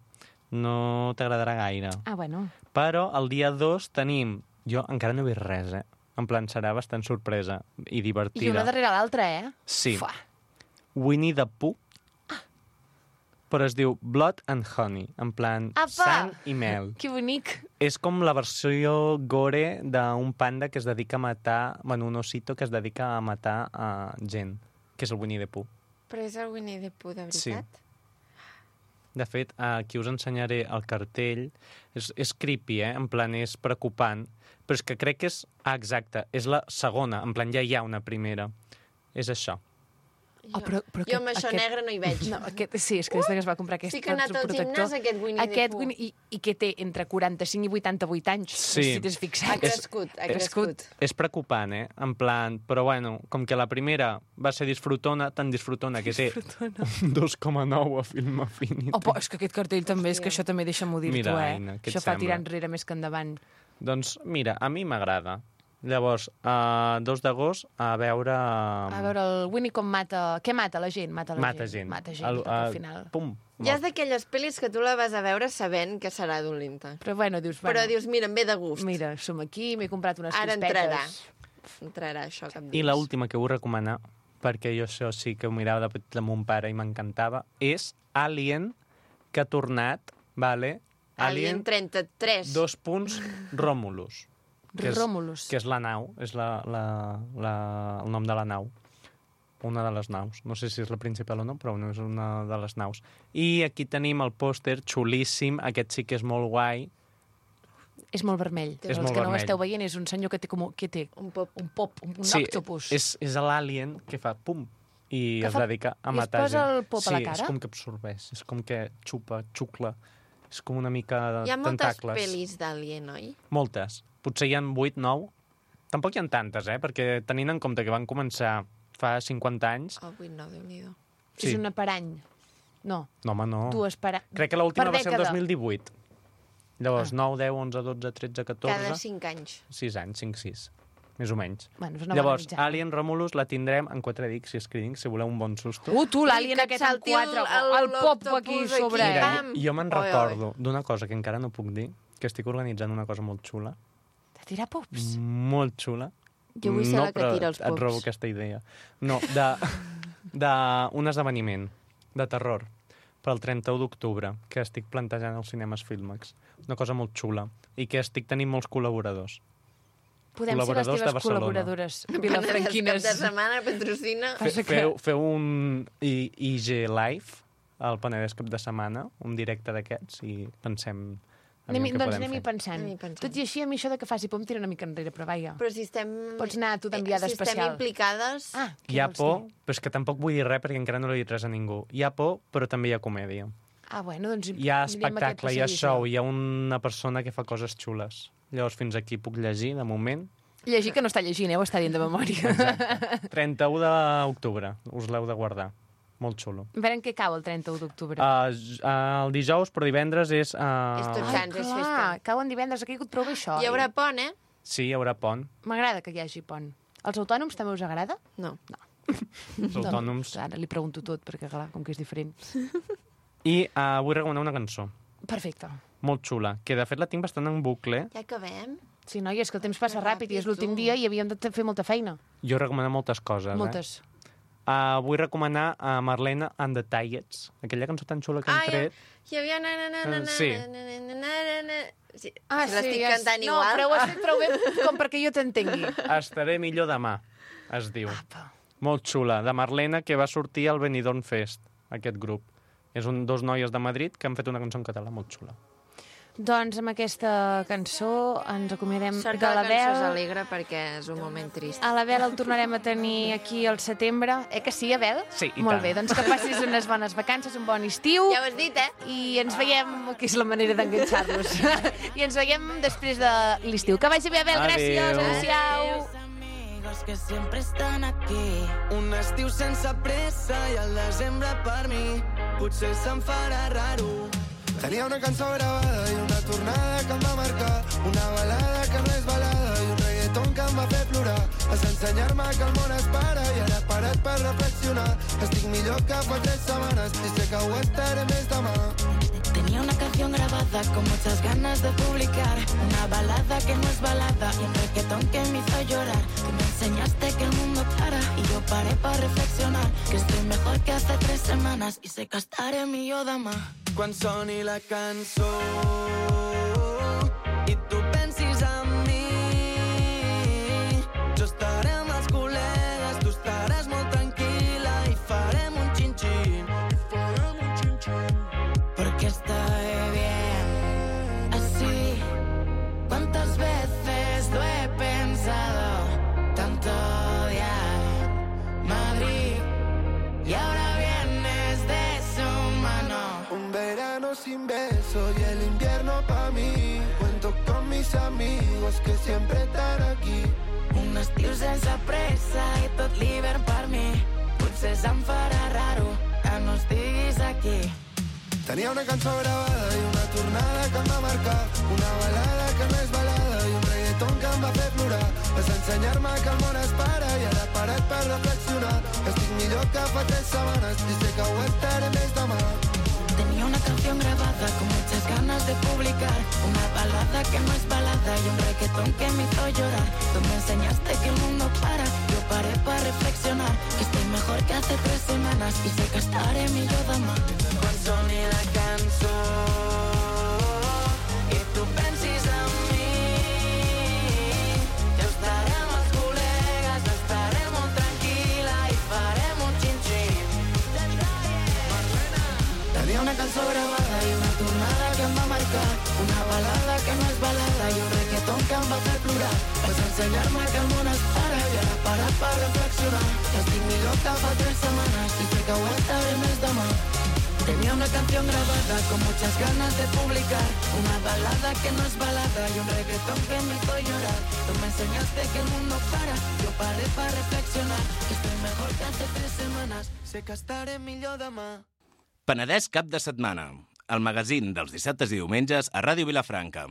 No t'agradarà gaire. Ah, bueno. Però el dia dos tenim... Jo encara no he vist res, eh? En plan, serà bastant sorpresa i divertida. I una darrere l'altra, eh? Sí. Fua. Winnie the Pooh, però es diu Blood and Honey, en plan Apa! sang i mel. Que bonic. És com la versió gore d'un panda que es dedica a matar... Bueno, un osito que es dedica a matar a gent, que és el Winnie the Pooh. Però és el Winnie the Pooh, de Sí. veritat? De fet, aquí us ensenyaré el cartell. És, és creepy, eh? En plan, és preocupant. Però és que crec que és... Ah, exacte, és la segona. En plan, ja hi ha una primera. És això. Jo, Oh, però- però jo amb aquest- això aquest- negre no hi veig. No, aquest, sí, és que des que es va comprar aquest Sí que ha anat al protector- gimnàs, aquest Winnie the aquest Pooh. Winnie, i, I que té entre quaranta-cinc i vuitanta-vuit anys. Sí. No sé si t'has Ha fixat. crescut, ha crescut. És preocupant, eh? En plan, però bueno, com que la primera va ser disfrutona, tan disfrutona que té un dos coma nou a Film Affinity. Oh, però és que aquest cartell també, és que això també deixa'm-ho dir Mira, tu, eh? Aina, què et això fa sembla? tirar enrere més que endavant. Doncs mira, a mi m'agrada. Llavors, a dos d'agost, a veure... A veure, el Winnie com mata... Què mata la gent? Mata la Mata gent. gent. Mata gent, El- tot al a- final. Pum. Ja és d'aquelles pel·lis que tu la vas a veure sabent que serà dolenta. Però bueno, dius... Però Bueno, dius, mira, em ve de gust. mira, som aquí, m'he comprat unes Ara crispetes. entrarà. Entrarà això cap dins. I l'última que vull recomanar, perquè jo això sí que ho mirava de petit amb mon pare i m'encantava, és Alien, que ha tornat, vale? Alien trenta-tres. dos punts, Romulus. Que és, Romulus. Que és la nau, és la, la, la, el nom de la nau. Una de les naus. No sé si és la principal o no, però no és una de les naus. I aquí tenim el pòster xulíssim. Aquest sí que és molt guai. És molt vermell. És Els molt que no ho vermell. esteu veient, és un senyor que té com... Què té? Un pop. Un pop, un, un sí, octopus. és, és l'alien que fa pum i Que es fa- dedica a i es matar posa gent. el pop a sí, la cara? és com que absorbeix, és com que xupa, xucla. És com una mica de Hi ha moltes tentacles. pel·lis d'Alien, oi? Moltes. Potser hi ha vuit, nou. Tampoc hi ha tantes, eh? Perquè tenint en compte que van començar fa cinquanta anys... Oh, vuit, no, Déu-n'hi-do. Sí. És una per any. No, No, home, no. dues per any. Crec que l'última Per va ser el dècada. dos mil divuit. Llavors, Ah. nou, deu, onze, dotze, tretze, catorze... Cada cinc anys. sis anys, cinc, sis. Més o menys. Bueno, és una Llavors, bona mitjana. Alien Romulus la tindrem en quatre D X i Screening, si voleu un bon susto. Uh, tu, l'alien I que et aquest en salti el- quatre. el- El, pop l'octopus aquí aquí, sobre. Mira, eh? pam. jo me'n Oi, oi. recordo d'una cosa que encara no puc dir, que estic organitzant una cosa molt xula, De tirar pops. molt xula. Jo vull ser no, la que però tira els et robo pops. aquesta idea. No, de, de un esdeveniment de terror per al trenta-u d'octubre que estic plantejant als cinemes Filmax. Una cosa molt xula i que estic tenint molts col·laboradors. Podem ser les col·laboradors de teves Barcelona. col·laboradores Cap vilafranquines. de setmana patrocina. Fe, feu, feu un I- IG Live al Penedès cap de setmana, un directe d'aquests, i pensem... Anem, què doncs podem anem-hi fer. pensant. Anem-hi pensant. Tot i així, a mi això de que faci por em tira una mica enrere, però vaja. Però si estem... Pots anar tu d'enviada si especial. Si estem implicades... Ah, què Hi ha vols por, dir? però és que tampoc vull dir res perquè encara no l'he dit res a ningú. Hi ha por, però també hi ha comèdia. Ah, bueno, doncs... Hi ha anirem a aquest espectacle, hi ha passadís, show, jo. hi ha una persona que fa coses xules. Llavors, fins aquí puc llegir, de moment. Llegir que no està llegint, eh? Ho està dient de memòria. trenta-u d'octubre, us l'heu de guardar. Molt xulo. A veure en què cau el trenta-u d'octubre. Uh, uh, el dijous, però divendres és... Uh... És tot Ai, Sants, és festa. clar, cau en divendres, ha caigut prou bé això. Hi haurà pont, eh? Sí, hi haurà pont. M'agrada que hi hagi pont. Els autònoms també us agrada? No. Els autònoms. No, ara li pregunto tot, perquè clar, com que és diferent. I uh, vull recomanar una cançó Perfecte. molt xula, que de fet la tinc bastant en bucle. Ja acabem. Sí, noi, és que el temps passa Que ràpid i és ràpid, l'últim tu. dia i havíem de fer molta feina. Jo recomano moltes coses, Moltes. eh? Uh, vull recomanar a Marlena and the Tiets, aquella cançó tan xula que hem Ah, ja. tret. Hi havia... Na, na, na, na, Eh, sí. na, na, na, na, na. Sí, Ah, si l'estic és- cantant no, igual. però ho has fet prou bé com perquè jo t'entengui. Estaré millor demà, es diu. Apa. Molt xula, de Marlena, que va sortir al Benidorm Fest, aquest grup. És un dos noies de Madrid que han fet una cançó en català molt xula. Doncs amb aquesta cançó ens acomiadem Sort de que la la cançó és Bel. alegre perquè és un moment trist. A la Bel el tornarem a tenir aquí al setembre. Eh que sí, Abel? Sí, i Molt tant. bé, doncs que passis unes bones vacances, un bon estiu. Ja ho has dit, eh? I ens veiem, que és la manera d'enganxar-los. I ens veiem després de l'estiu. Que vagi bé, Abel, gràcies. Adéu. Adéu-siau. Amigos que siempre están aquí. Un estiu sense pressa i el desembre per mi potser se'm farà raro. Tenia una cançó gravada i una tornada que em va marcar, una balada que no és balada i un reggaeton que em va fer plorar. Vas ensenyar-me que el món es para i ara he parat per reflexionar. Estic millor que fa tres setmanes i sé que ho estaré més demà. Tenía una canción grabada con muchas ganas de publicar, una balada que no es balada y un reggaetón que me hizo llorar. Tú me enseñaste que el mundo para y yo paré para reflexionar, que estoy mejor que hace tres semanas y sé que estaré millor demà. Quan soni la cançó i tu pensis en mi, jo estaré amb els col·legues, tu estaràs molt tranquil·la i farem un xin-xin. Farem un xin-xin. Porque estoy bien así. ¿Cuántas veces lo he pensado? Tanto odiar Madrid y ahora vienes deshumano. Un verano sin besos y el invierno pa' mí. Cuento con mis amigos que siempre están aquí. Un estiu sense pressa i tot l'hivern per mi. Potser se'm farà raro que no estiguis aquí. Tenia una cançó gravada i una tornada que em va marcar, una balada que no és balada i un reggaeton que em va fer plorar. Vas ensenyar-me que el món es para i ara he parat per reflexionar. Estic millor que fa tres setmanes i sé que ho estaré més demà. Tenía una canción grabada con muchas ganas de publicar, una balada que no es balada y un reggaetón que me hizo llorar. Tú me enseñaste que el mundo para, yo paré para reflexionar, que estoy mejor que hace tres semanas y sé que estaré millor demà. Quan soni la cançó i tu pensis en mi, jo estaré amb els col·legues, estaré molt tranquil·la i farem un xin-xin. Tenia una cançó gravada i una tornada que em va marcar, una balada que no és balada i un reggaeton que em va fer plorar. Vas ensenyar-me que el món es para i ara he parat per reflexionar, que estic millor que fa tres setmanes i sé que ho estaré més demà. Tenía una canción grabada con muchas ganas de publicar, una balada que no es balada y un reggaetón que me hizo llorar. Tú me enseñaste que el mundo para, yo paré para reflexionar, que estoy mejor que hace tres semanas, sé que estaré millor demà. Penedès cap de setmana, el magazín dels dissabtes i diumenges a Ràdio Vilafranca.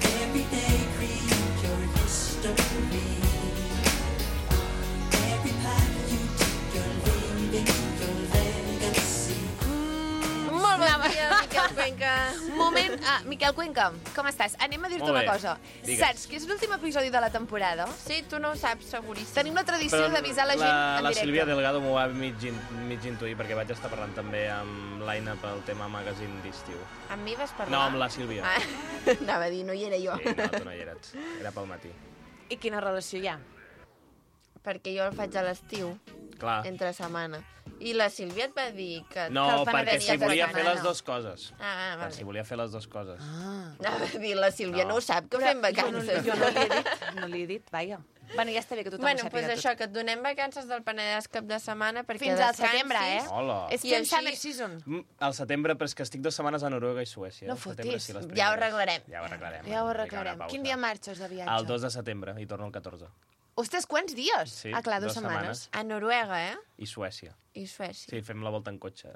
Everyday creature history. Miquel Cuenca. Moment, ah, Miquel Cuenca, com estàs? Anem a dir-te Molt una bé. cosa. Digues. Saps que és l'últim episodi de la temporada? Sí, tu no ho saps, seguríssim. Tenim la tradició Però d'avisar la gent la, en la directe. Sílvia Delgado m'ho va mig, in, mig intuir perquè vaig estar parlant també amb l'Aina pel tema magazine d'estiu. Amb mi vas parlar? No, amb la Sílvia. Ah, anava a dir, no hi era jo. Sí, no, tu no hi eres. Era pel matí. I quina relació hi ha? Perquè jo el faig a l'estiu, Clar. entre setmana. I la Sílvia et va dir que... No, que el perquè Penedès si de volia setmana fer les no. dues coses. Ah, ah, Per vale. si volia fer les dues coses. Ah. Anava a dir, la Sílvia no, No. ho sap, que fem vacances. Jo no, jo no li he dit, no li he dit, vaja. Bueno, ja està bé que tothom Bueno, ho doncs sàpiga això, tot. que et donem vacances del Penedès cap de setmana perquè Fins al descansis. setembre, eh? Hola. És I que en així- summer season. Mm, Al setembre, però és que estic dues setmanes a Noruega i Suècia. No Al setembre, fotis. sí, les Ja ho primeres. arreglarem. Ja ho arreglarem. Ja ho Una arreglarem. pausa. Quin dia marxes de viatge? El dos de setembre i torno el catorze. Ostres, quants dies? Sí, ah, clar, dues dues setmanes. setmanes. A Noruega, eh? I Suècia. I Suècia. Sí, fem la volta en cotxe,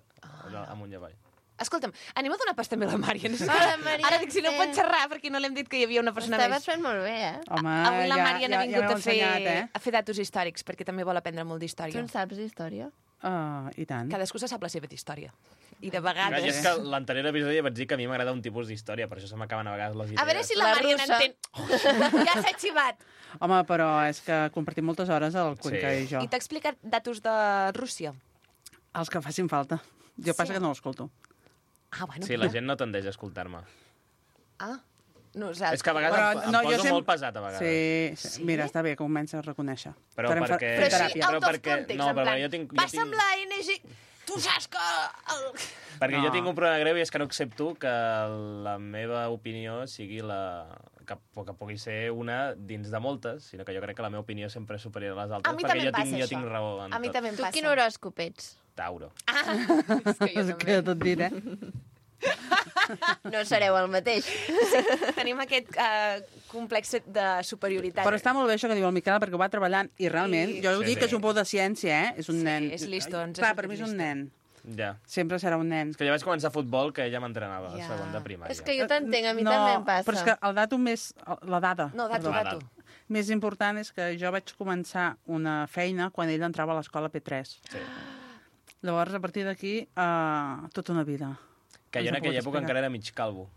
allò, amunt i avall. Escolta'm, anem a donar pas també a la Màriam. Hola, Màriam. Ara dic, si no Sí. pot xerrar, perquè no l'hem dit que hi havia una persona Estaves més. fent molt bé, eh? Home, Avui la ja, Màriam ja, ha vingut ja m'heu a, fer, ensenyat, eh? a fer datos històrics, perquè també vol aprendre molt Tu d'història. en saps d'història? Uh, I tant. Cadascú se sap la seva història. I de Clar, vegades... i és que l'anterior episodi ja vaig dir que a mi m'agrada un tipus d'història, per això se m'acaben a vegades les idees. A veure si la, La Màriam russa. entén. Ja s'ha xivat. Home, però és que compartim moltes hores el Cuenca Sí. i jo. I t'ha explicat datos de Rússia? Els que facin falta. Jo Sí. passa que no l'escolto. Ah, bueno. Sí, la gent no tendeix a escoltar-me. Ah, nosaltres. És que a vegades Però, em, em no, jo poso sem- molt pesat, a vegades. Sí, sí. Sí? Mira, està bé que comença a reconèixer. Però Farem fa- perquè- Però fem així, teràpia. out Però of perquè- context, no, en però plan, jo tinc- jo passa tinc- amb la N G... Tu saps que... El... Perquè No. jo tinc un problema greu i és que no accepto que la meva opinió sigui la... que, que pugui ser una dins de moltes, sinó que jo crec que la meva opinió sempre és superior a les altres, A mi perquè també jo em passa tinc, jo això. tinc raó en A mi tot. també em Tu passa. quin horòscop ets? Tauro. Ah, és que jo És també. que tot dit, eh? No sereu el mateix. Tenim aquest uh, complex de superioritat. Però està molt bé això que diu el Miquel, perquè ho va treballant i realment, I- jo ho Sí, dic sí. que és un pou de ciència, eh? És un Sí, nen. és listo, ens Clar, és per mi és un superlisto. nen. Ja. Sempre serà un nen. És que jo vaig començar a futbol que ella m'entrenava, Ja. a segon de primària. És que jo t'entenc, a mi no, també em passa. però és que el dato més... La dada. No, dato, perdó. dato. Més important és que jo vaig començar una feina quan ell entrava a l'escola P tres. Sí. Llavors, a partir d'aquí, uh, tota una vida. Que jo en No aquella pots època explicar. encara era mig calvo.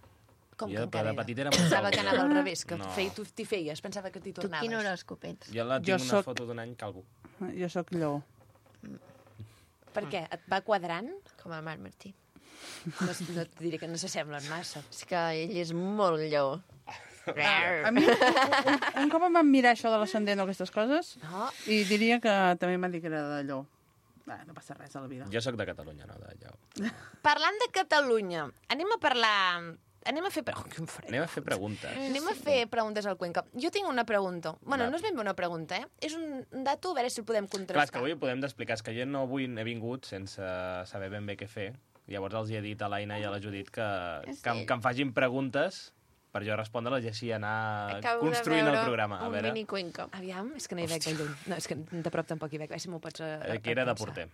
Com jo que encara de era? petit era molt Pensava calvo. que anava al revés, que No. fei, tu t'hi feies, pensava que t'hi Tu tornaves. quin horòscop ets? Jo la Jo tinc una soc- foto d'un any calvo. Jo sóc lleó. Per què? Et va quadrant? Com el Marc Martí. No, no et diré que no s'assemblen massa. És que ell és molt lleó. A mi, un, un, un cop em van mirar això de l'ascendent o aquestes coses, No? i diria que també m'han dit que era de lleó. Bé, no passa res a la vida. Jo sóc de Catalunya, no d'allò. Parlant de Catalunya, anem a parlar... Anem a fer... Oh, quin fred. Anem a fer preguntes. Anem a fer preguntes al Cuenca. Jo tinc una pregunta. Bueno, Va. no és ben bé una pregunta, eh? És un dato, a veure si el podem Clar, és que contrastar. avui ho podem d'explicar. És que jo no avui he vingut sense saber ben bé què fer. Llavors els he dit a l'Aina i a la Judit que, que, em, que em facin preguntes per jo respondre-les i així anar Acabo construint de el veure programa. A un veure, mini cuenca. Aviam, és que no hi veig de lluny. No, és que de prop tampoc hi veig. A veure si m'ho pots... eh, que era de porter.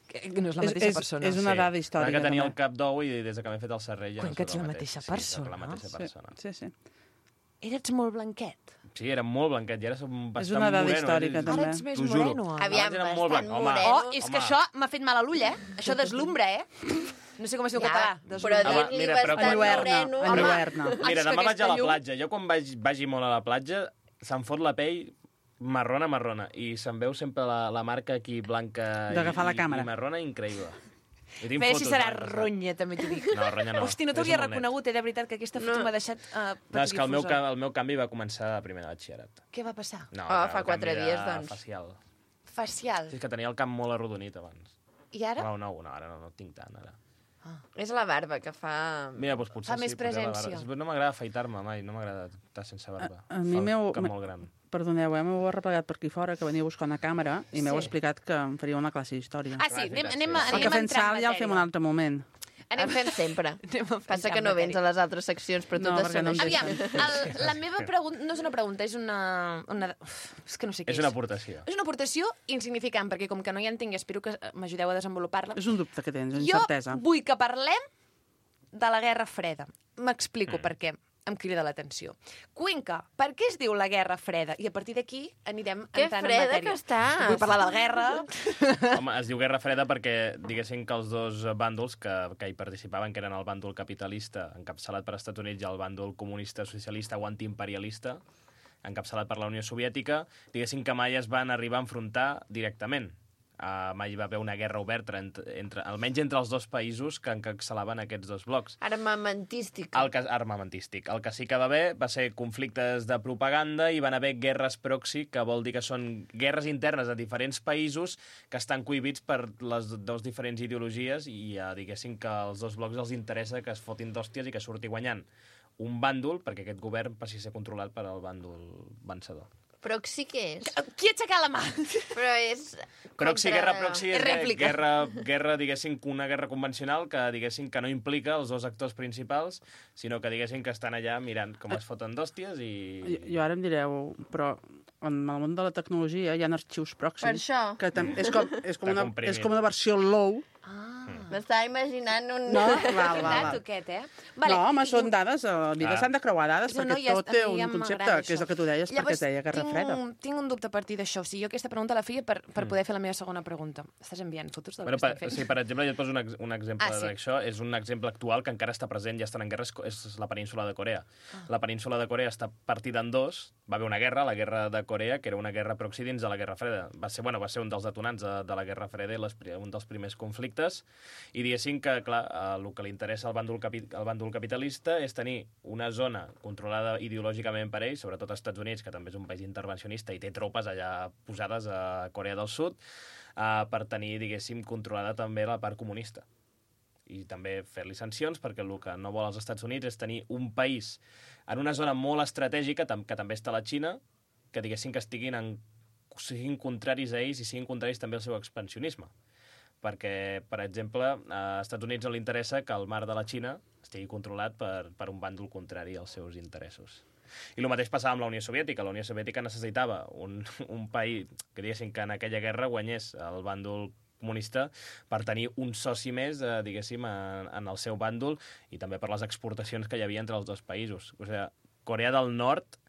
Que que no és la És- mateixa és- persona. és una Sí. dada històrica, Que tenia també. el cap d'ou i des que m'he fet el serrell ja Cuenca, no ets soc el la mateix. mateixa Sí, persona. soc la mateixa Sí, persona. sí, sí. Eres molt blanquet. Sí, era molt blanquet i ara som bastant una dada moreno. històrica, eh? també. Ara ets més T'ho juro. moreno. ara. Aviam, Abans era molt bastant blanc. Home, moreno. Oh, és que Home. això m'ha fet mal a l'ull, eh? Això deslumbra, eh? No sé com es diu en Ja, català. però Deslumbra. Home, dir-li mira, però bastant quan- moreno... En Home. lluerna. Mira, és que demà vaig a aquesta la llum- platja. Jo quan vaig, vagi molt a la platja se'm fot la pell marrona, marrona. I se'm veu sempre la, la marca aquí blanca D'agafar i, la càmera. i marrona increïble. I tinc A veure si fotos serà blanques, ronya, també t'ho dic. No, ronya no. Hosti, no És t'hauria molt net. reconegut, eh? De veritat, que aquesta foto No. m'ha deixat uh, No, és que el meu, patidifusa. ca- el meu canvi va començar a primer de batxillerat. Què va passar? No, Ah, el fa quatre canvi de dies, doncs. Facial. Facial. Sí, és que tenia el cap molt arrodonit abans. I ara? No, no, no, ara no, no tinc tant, ara. És la barba que fa... Mira, doncs potser Fa sí. més potser la presència. barba. No m'agrada afaitar-me mai, no m'agrada estar sense barba. A- a mi Fa el m'heu- cap m'he- molt gran. Perdoneu, eh? M'heu arreplegat per aquí fora, que venia a buscar una càmera i m'heu Sí. explicat que em faria una classe d'història. Ah, sí, Clar, és anem, veritat, anem, sí. a, El anem que a fem entrar en salt ja el fem un matèria. altre moment. En Anem, fem sempre. anem a Passa entrar que en no vens matèria. a les altres seccions, però No, totes perquè són no em així. Aviam, el, la meva pregunta no és una pregunta, és una... una uf, és que no sé què És una aportació. És una aportació insignificant, perquè com que no hi entenc, espero que m'ajudeu a desenvolupar-la. És un dubte que tens, una Jo incertesa. vull que parlem de la Guerra Freda. M'explico Mm. per què. em crida l'atenció. Cuenca, per què es diu la Guerra Freda? I a partir d'aquí anirem Que entrant en freda matèria. que estàs. Vull parlar de la guerra. Home, es diu Guerra Freda perquè diguessin que els dos bàndols que, que hi participaven, que eren el bàndol capitalista, encapçalat per Estats Units, i el bàndol comunista, socialista o antiimperialista, encapçalat per la Unió Soviètica, diguessin que mai es van arribar a enfrontar directament. Uh, mai hi va haver una guerra oberta, entre, entre, almenys entre els dos països que encapçalaven aquests dos blocs. Armamentística. El que, armamentístic. El que sí que va haver va ser conflictes de propaganda i van haver guerres proxy, que vol dir que són guerres internes de diferents països que estan cohibits per les dues diferents ideologies i uh, diguéssim que als dos blocs els interessa que es fotin d'hòsties i que surti guanyant un bàndol, perquè aquest govern passi a ser controlat per al bàndol vencedor. Proxy què és? Qui ha aixecat la mà? Però és... Proxy, contra- guerra proxy és, És rèplica. guerra, guerra, diguéssim, una guerra convencional que, diguéssim, que no implica els dos actors principals, sinó que, diguéssim, que estan allà mirant com es foten d'hòsties i... Jo, jo ara em direu, però en el món de la tecnologia hi ha arxius pròxims. Per això. Que tam- és, com, és, com Està una, comprimit. és com una versió low. M'estava imaginant un... No? Val, val, Dato val. aquest, eh? No, home, i- són dades, a la vida Ah. s'han de creuar dades, No, no, perquè ja tot està, té a mi ja un concepte, m'agrada que és el això. que tu deies, perquè Llavors, es deia Guerra tinc Freda. Un, tinc un dubte a partir d'això. O sigui, jo aquesta pregunta la feia per, per poder fer la meva segona pregunta. Estàs enviant fotos del Bueno, que per, estem fent? sí, per exemple, jo et poso un, ex, un exemple Ah, sí. d'això. És un exemple actual que encara està present, ja estan en guerra, és, és la península de Corea. Ah. La península de Corea està partida en dos. Va haver una guerra, la guerra de Corea, que era una guerra proxy dins de la Guerra Freda. Va ser, bueno, va ser un dels detonants de, de la Guerra Freda i les, un dels primers conflictes. I diguéssim que, clar, el que li interessa al bàndol, capi, al bàndol capitalista és tenir una zona controlada ideològicament per ells, sobretot als Estats Units, que també és un país intervencionista i té tropes allà posades a Corea del Sud, uh, per tenir, diguéssim, controlada també la part comunista. I també fer-li sancions, perquè el que no vol els Estats Units és tenir un país en una zona molt estratègica, tam que també està la Xina, que diguéssim que estiguin en, siguin contraris a ells i siguin contraris també al seu expansionisme. Perquè, per exemple, a Estats Units no li interessa que el mar de la Xina estigui controlat per, per un bàndol contrari als seus interessos. I el mateix passava amb la Unió Soviètica. La Unió Soviètica necessitava un, un país que, diguéssim, que en aquella guerra guanyés el bàndol comunista per tenir un soci més, eh, diguéssim, en, en el seu bàndol i també per les exportacions que hi havia entre els dos països. O sigui, Corea del Nord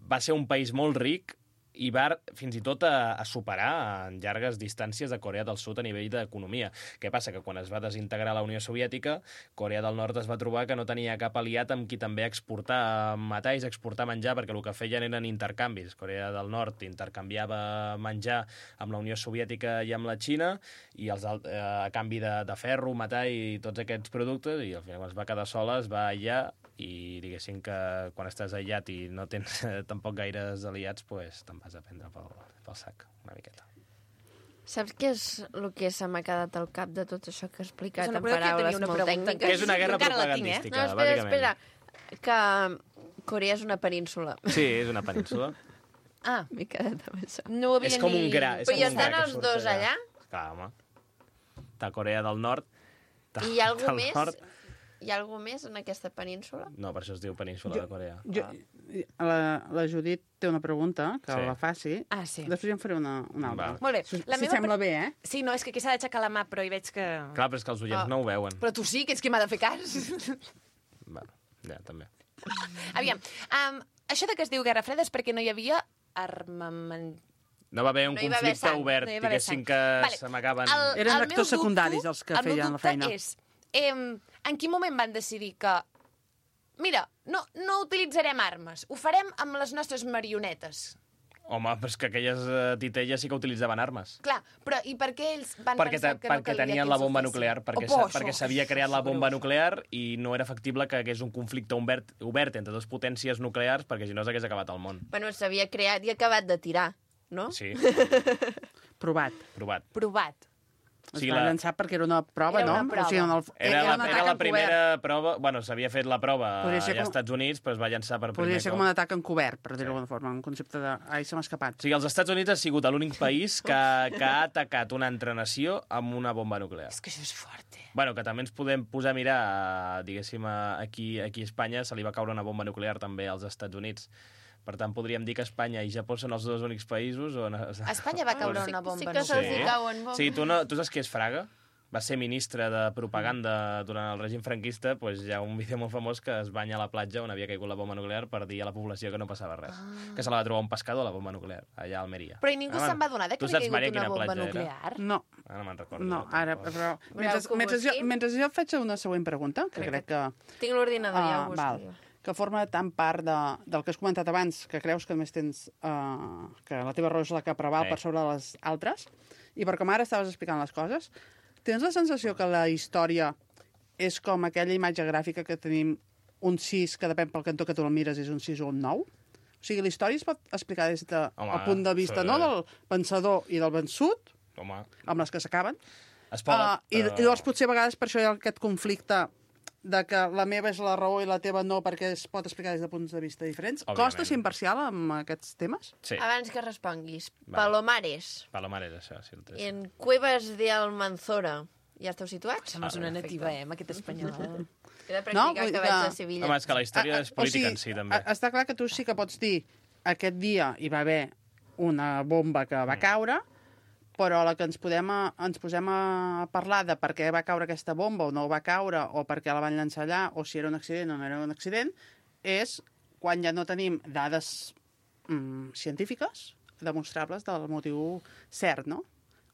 va ser un país molt ric i va fins i tot a, a superar en llargues distàncies de Corea del Sud a nivell d'economia. Què passa? Que quan es va desintegrar la Unió Soviètica, Corea del Nord es va trobar que no tenia cap aliat amb qui també exportar metalls, exportar menjar, perquè el que feien eren intercanvis. Corea del Nord intercanviava menjar amb la Unió Soviètica i amb la Xina, i els, eh, a canvi de, de ferro, metall i tots aquests productes, i al final quan es va quedar sola es va aïllar, i diguéssim que quan estàs aïllat i no tens eh, tampoc gaires aliats, pues, te'n vas a prendre pel, pel sac, una miqueta. Saps què és el que se m'ha quedat al cap de tot això que he explicat És una en pregunta que paraules tenia una molt pregunta, tècniques? Que és una guerra encara la tinc, eh? propagandística, No, espera, bàsicament. espera, que Corea és una península. Sí, és una península. Ah, M'he quedat amb això. no ho havia És com ni... un gra. És Però com hi un estan gra que els surt dos allà? Clar, home. De Corea del Nord. De, I hi ha algú del més? Nord. Hi ha algú més en aquesta península? No, per això es diu península de Corea. Jo, la, la Judit té una pregunta, que Sí. la faci. Ah, sí. Després ja en faré una, una altra. Va. Molt bé. Si, La si meva sembla pre- bé, eh? Sí, no, és que aquí s'ha d'aixecar la mà, però hi veig que... Clar, però és que els oients Ah. no ho veuen. Però tu sí, que ets qui m'ha de fer cas. Bueno, ja, també. Aviam, um, això de que es diu Guerra Freda és perquè no hi havia armament... No va haver un No hi va haver conflicte sang, obert, no hi va haver diguéssim sang. que Vale. se m'acaben... El- Eren el actors meu dubte- secundaris els que el meu feien la dubte feina. És, em, en quin moment van decidir que mira, no, no utilitzarem armes, ho farem amb les nostres marionetes? Home, però és que aquelles eh, titelles sí que utilitzaven armes. Clar, però i per què ells van Perquè, pensar te, que no perquè calia tenien que la ells ho bomba fessin? nuclear, perquè, Oh, sa, això, perquè s'havia creat la això, bomba greu. nuclear i no era factible que hagués un conflicte obert, obert entre dues potències nuclears, perquè si no s'hagués acabat el món. Bueno, s'havia creat i acabat de tirar, no? Sí, Provat. provat. Provat. Es O sigui, va la- llançar perquè era una prova, Era una no? prova. O sigui, en el... Era, un la, atac era la encobert. primera prova... Bueno, s'havia fet la prova Podria allà ser als com- Estats Units, però es va llançar per Podria primer ser cop. com un atac encobert, per dir-ho d'alguna forma, un concepte de... Ai, se m'ha escapat. O sigui, els Estats Units ha sigut l'únic país que, que ha atacat una altra nació amb una bomba nuclear. És que això és fort, eh? Bueno, que també ens podem posar a mirar, eh, diguéssim, a- aquí, aquí a Espanya se li va caure una bomba nuclear també als Estats Units. Per tant, podríem dir que Espanya i Japó són els dos únics països on... A Espanya va caure sí, una bomba sí que se'ls nuclear. hi cauen bombes. Sí, tu, no, tu saps què és Fraga? va ser ministre de propaganda durant el règim franquista, doncs hi ha un vídeo molt famós que es banya a la platja on havia caigut la bomba nuclear per dir a la població que no passava res. Ah. Que se la va trobar un pescador, la bomba nuclear, allà a Almeria. Però i ningú Ah, se'n va adonar de que tu havia saps, caigut Maria, una quina bomba platja era? No, nuclear? Ara no me'n recordo. no, ara, però... Mentre, Voleu que ho mentre, jo, busqui? mentre jo et faig una següent pregunta, que crec que... Tinc l'ordinador, ja Ah, ho busco. val. jo. Que forma tant part de, del que has comentat abans, que creus que només tens... Uh, que la teva raó és la que preval Sí. per sobre de les altres, i per com ara estaves explicant les coses, tens la sensació que la història és com aquella imatge gràfica que tenim un sis, que depèn pel cantó que tu el mires, és un sis o un nou? O sigui, la història es pot explicar des del Home, punt de vista sí. no del vencedor i del vençut, Home, amb les que s'acaben, es pot... Uh, i, però- I llavors potser a vegades per això hi ha aquest conflicte de que la meva és la raó i la teva no, perquè es pot explicar des de punts de vista diferents. Òbviament. Costa ser imparcial amb aquests temes? Sí, Abans que responguis, Vale. Palomares, Palomar és això, sí, el té. en Cuevas de Almanzora. Ja esteu situats? Sembles una nativa, eh, amb aquest espanyol. He de practicar No, no, vull que dir vaig que- a Sevilla. Home, és que la història és Ah, ah, política o en si, sigui, també. a- Està clar que tu sí que pots dir aquest dia hi va haver una bomba que Mm. va caure, però a la que ens, podem a, ens posem a parlar de per què va caure aquesta bomba o no va caure, o per què la van llançar allà, o si era un accident o no era un accident, és quan ja no tenim dades mm, científiques demostrables del motiu cert, no?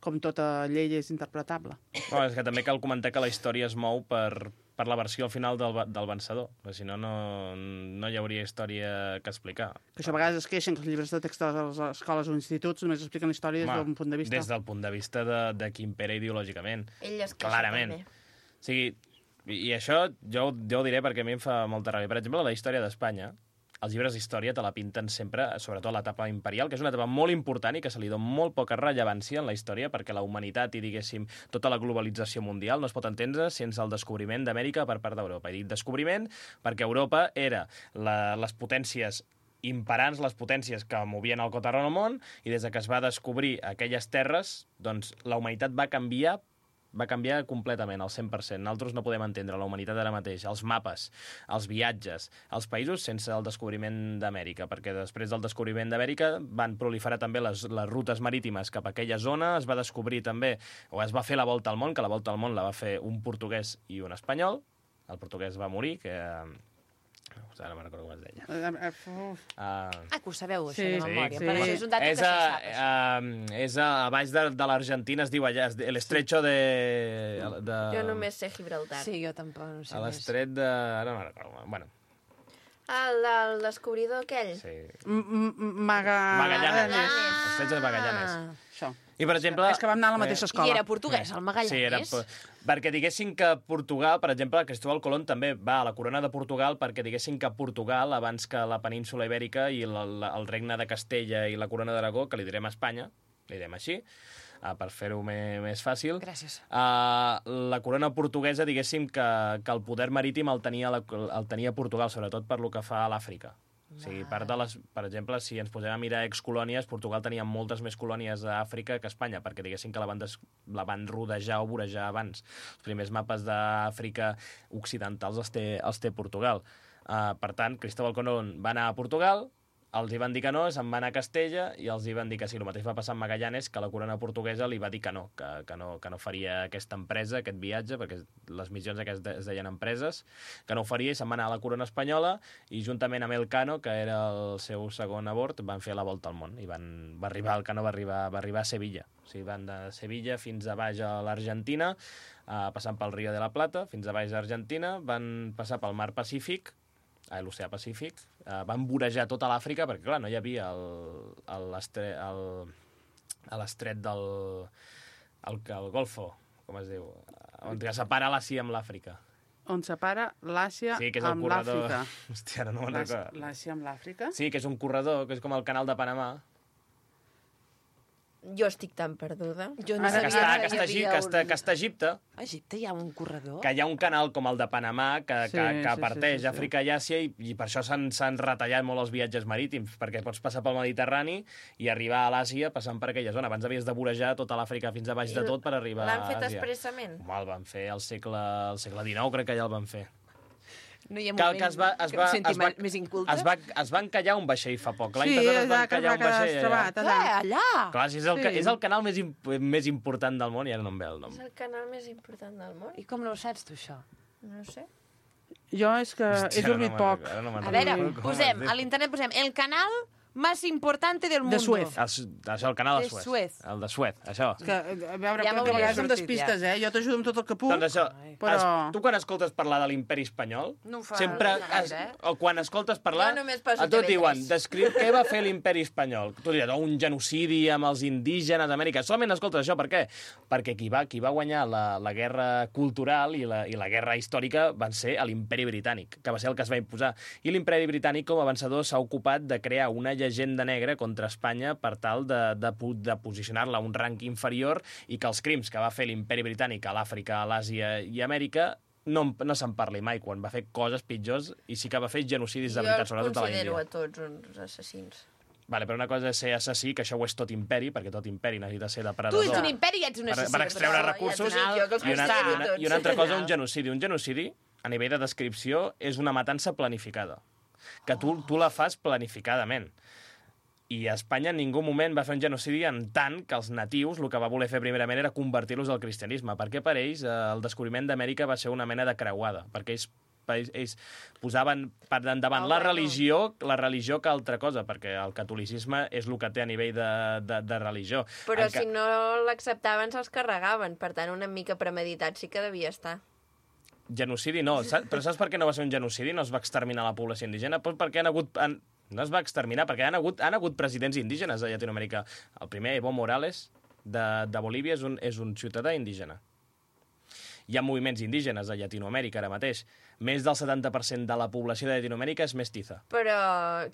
Com tota llei és interpretable. No, és que també cal comentar que la història es mou per, per la versió al final del, ve- del vencedor. Perquè si no, no, no hi hauria història que explicar. Que això a vegades es queixen que els llibres de text de les escoles o instituts només expliquen la història des Home, d'un punt de vista. Des del punt de vista de, de qui impera ideològicament. Ell es queixa Clarament. també. O sigui, i, i això jo, jo ho diré perquè a mi em fa molta ràbia. Per exemple, la història d'Espanya, els llibres d'història te la pinten sempre, sobretot l'etapa imperial, que és una etapa molt important i que se li dona molt poca rellevància en la història perquè la humanitat i, diguéssim, tota la globalització mundial no es pot entendre sense el descobriment d'Amèrica per part d'Europa. I dic descobriment perquè Europa era la, les potències imperants, les potències que movien el cotarro al món, i des de que es va descobrir aquelles terres, doncs la humanitat va canviar va canviar completament, al cent per cent. Nosaltres no podem entendre la humanitat ara mateix, els mapes, els viatges, els països sense el descobriment d'Amèrica, perquè després del descobriment d'Amèrica van proliferar també les, les rutes marítimes cap a aquella zona, es va descobrir també, o es va fer la volta al món, que la volta al món la va fer un portuguès i un espanyol. El portuguès va morir, que... Ara no me'n recordo com es deia. Eh, eh, uf. Uh, Ah, que ho sabeu, això, Sí, de memòria. sí. Però això és un dato és, que a, se sap. això. uh, és a, a baix de, de l'Argentina, es diu allà, es- l'estretxo de... de... Jo només sé Gibraltar. Sí, jo tampoc no sé A més. l'estret de... Ara no me'n recordo. Bueno, El del descobridor aquell? sí. M- m- Maga... Magallanes. Magallanes. L'estretxo de Magallanes. Ah, això. I, per exemple... És que vam anar a la mateixa I escola. era portuguès, el Magallanes. Sí, era... Perquè diguessin que Portugal, per exemple, Cristóbal Colón també va a la corona de Portugal perquè diguessin que Portugal, abans que la península ibèrica i la, la, el regne de Castella i la corona d'Aragó, que li direm a Espanya, li direm així, uh, per fer-ho me- més fàcil, Gràcies. uh, la corona portuguesa, diguéssim, que, que el poder marítim el tenia, la, el tenia Portugal, sobretot per lo que fa a l'Àfrica. O sigui, part de les, per exemple, si ens posem a mirar excolònies, Portugal tenia moltes més colònies a Àfrica que Espanya, perquè diguéssim que la van, des, la van rodejar o vorejar abans. Els primers mapes d'Àfrica occidentals els té, els té Portugal. Uh, per tant, Cristóbal Colón va anar a Portugal, els hi van dir que no, se'n va anar a Castella i els hi van dir que sí. El mateix va passar amb Magallanes, que la corona portuguesa li va dir que no, que, que no, que no faria aquesta empresa, aquest viatge, perquè les missions aquestes es deien empreses, que no ho faria i se'n va anar a la corona espanyola i juntament amb Elcano, que era el seu segon a bord, van fer la volta al món i van, va arribar, Elcano va arribar, va arribar a Sevilla. O sigui, van de Sevilla fins a baix a l'Argentina, eh, passant pel Río de la Plata, fins a baix a Argentina, van passar pel mar Pacífic, a l'oceà Pacífic, eh, van vorejar tota l'Àfrica, perquè, clar, no hi havia el- el- l'estre- el- a l'estret del... El, el Golfo, com es diu? On que separa l'Àsia amb l'Àfrica. On separa l'Àsia Sí, que és el amb corredor... l'Àfrica. Hòstia, ara no me'n L'Às- recordo. L'Àsia amb l'Àfrica? Sí, que és un corredor, que és com el canal de Panamà. Jo estic tan perduda. Jo no Ara Que sabia està, que, que hi està, Egip- havia que, està, un... que està a Egipte, A Egipte hi ha un corredor? que hi ha un canal com el de Panamà que, Sí, que, sí, que sí, parteix sí, sí. Àfrica i Àsia i, i per això s'han s'han retallat molt els viatges marítims, perquè pots passar pel Mediterrani i arribar a l'Àsia passant per aquella zona. Abans havies de vorejar tota l'Àfrica fins a baix de tot per arribar a L'han fet Àsia. expressament? Home, el van fer al segle, al segle dinou, crec que ja el van fer. No hi ha que, moment que es va, es que va, em senti es va, més inculte? es va, es va encallar un vaixell fa poc. L'any Sí, passat es va allà que es encallar va un quedar vaixell allà. estrebat, allà. Què, allà? Clar, si és el, Sí. sí. és el canal més, imp més important del món i ara no em ve el nom. És el canal més important del món? I com no ho saps, tu, això? No sé. Jo és que Hòstia, he dormit no me'n poc. recordo, no me'n A veure, recordo com posem, es diu. a l'internet posem el canal más importante del mundo. De Suez. El, això, el canal de De Suez. Suez. El de Suez, això. Que, a veure, Ja ja que a m'hauria vegades em sortit, despistes, eh? Jo t'ajudo amb tot el que puc. Doncs això, però- es, tu quan escoltes parlar de l'imperi espanyol, No ho fa sempre, gaire, es, eh? o quan escoltes parlar, Jo només poso a tot T V diuen, tres. descriu què va fer l'imperi espanyol. Tu diràs, oh, un genocidi amb els indígenes d'Amèrica. Solament escoltes això, per què? Perquè qui va, qui va guanyar la, la guerra cultural i la, i la guerra històrica van ser l'imperi britànic, que va ser el que es va imposar. I l'imperi britànic, com a vencedor, s'ha ocupat de crear una llegenda negra contra Espanya per tal de, de, de posicionar-la a un rang inferior i que els crims que va fer l'imperi britànic a l'Àfrica, a l'Àsia i a Amèrica no, no se'n parli mai, quan va fer coses pitjors i sí que va fer genocidis de Jo veritat, els sobretot a la considero Índia. a tots uns assassins. Vale, però una cosa és ser assassí, que això ho és tot imperi, perquè tot imperi necessita ser Tu depredador. ets un imperi i ets un per, assassí. per extreure però recursos ja et dic jo que els i una, considero i una, tots. i una altra cosa, un genocidi. Un genocidi, a nivell de descripció, és una matança planificada, que tu, tu la fas planificadament. I a Espanya en ningú moment va fer un genocidi en tant que els natius el que va voler fer primerament era convertir-los al cristianisme, perquè per ells eh, el descobriment d'Amèrica va ser una mena de creuada, perquè ells ells, ells posaven per endavant Oh, la bueno. religió la religió que altra cosa, perquè el catolicisme és el que té a nivell de, de, de religió. Però En ca- si no l'acceptaven, se'ls carregaven. Per tant, una mica premeditat sí que devia estar. Genocidi no, saps? Però saps per què no va ser un genocidi? No es va exterminar la població indígena? Pues perquè han hagut... Han... No es va exterminar, perquè han hagut, han hagut presidents indígenes a Llatinoamèrica. El primer, Evo Morales, de, de Bolívia, és un, és un ciutadà indígena. Hi ha moviments indígenes a Llatinoamèrica ara mateix. Més del setanta per cent de la població de Llatinoamèrica és mestiza. Però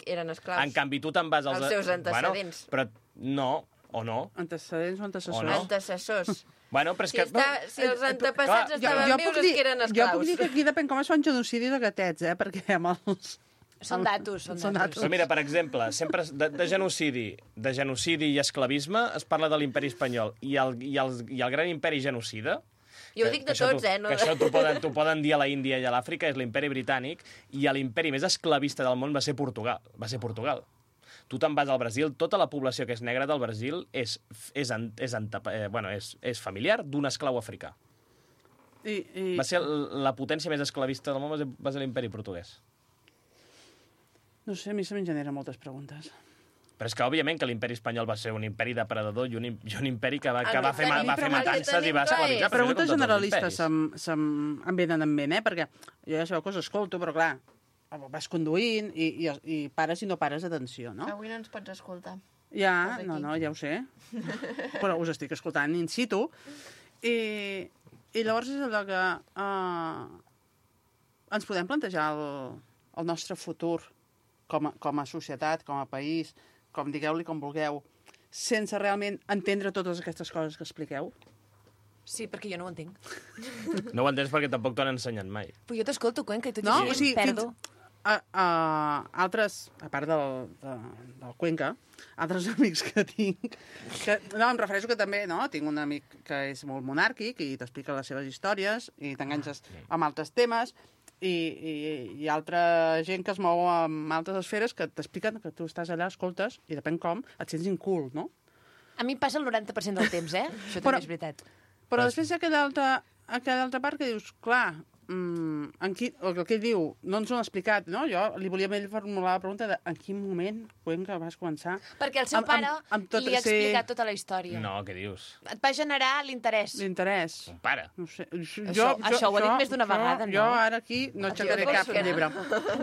eren esclaus. En canvi, tu te'n vas als... Els seus antecedents. Bueno, però no, o no. Antecedents o antecessors? O no. Antecessors. Bueno, però és Si, que... està, si els antepassats estaven vius és que eren jo esclaus. puc dir que aquí depèn com es fa un genocidi de gatets, eh? Perquè amb els... Són datos, són, Són datos. Però mira, per exemple, sempre de, de genocidi de genocidi i esclavisme es parla de l'imperi espanyol i el, i, el, i el gran imperi genocida. Jo ho que- dic que de això tots, t'ho- eh, no Que de- això t'ho poden, t'ho poden dir a la Índia i a l'Àfrica, és l'imperi britànic, i l'imperi més esclavista del món va ser Portugal. Va ser Portugal. Tu te'n vas al Brasil, tota la població que és negra del Brasil és, és, en- és, ante- eh, bueno, és, és familiar d'un esclau africà. I, i... Va ser el- la potència més esclavista del món, va ser, va ser l'imperi portuguès. No sé, a mi se me'n generen moltes preguntes. Però és que, òbviament, que l'imperi espanyol va ser un imperi depredador i un, im- i un imperi que va, El que va que fer, ma- tenim va fer pregunta- matances i tenim va clar esclavitzar. és- però Preguntes no com tots els generalistes imperis. se'm, se'm, em venen en ment, eh? Perquè jo ja sabeu que us escolto, però clar, vas conduint i, i, i pares i no pares d'atenció, no? Avui no ens pots escoltar. Ja, Estàs no, aquí. no, ja ho sé. Però us estic escoltant in situ. I, i llavors és allò que uh, ens podem plantejar el, el nostre futur com a, com a societat, com a país, com digueu-li com vulgueu, sense realment entendre totes aquestes coses que expliqueu? Sí, perquè jo no ho entenc. No ho entens perquè tampoc t'ho han ensenyat mai. Però jo t'escolto, Cuenca, i tot No? i O així sigui, em perdo. fins, a, a, altres, a part del, de, del Cuenca, altres amics que tinc, que, no, em refereixo que també, no, tinc un amic que és molt monàrquic i t'explica les seves històries i t'enganxes amb altres temes, i, i, i altra gent que es mou amb altres esferes que t'expliquen que tu estàs allà, escoltes, i depèn com, et sents incult, no? A mi em passa el noranta per cent del temps, eh? Això Però- també és veritat. Però després hi ha aquella altra, aquella altra part que dius, clar, mm, en qui, el que ell diu no ens ho han explicat, no? Jo li volia a ell formular la pregunta de en quin moment, Cuenca, vas començar... Perquè el seu amb- pare amb- amb tot li ha ser- explicat tota la història. No, què dius? Et va generar l'interès. L'interès. Un pare. No sé. Jo, Això- això ho ha dit més d'una vegada, no? Jo ara aquí no aixecaré jo cap penso que llibre.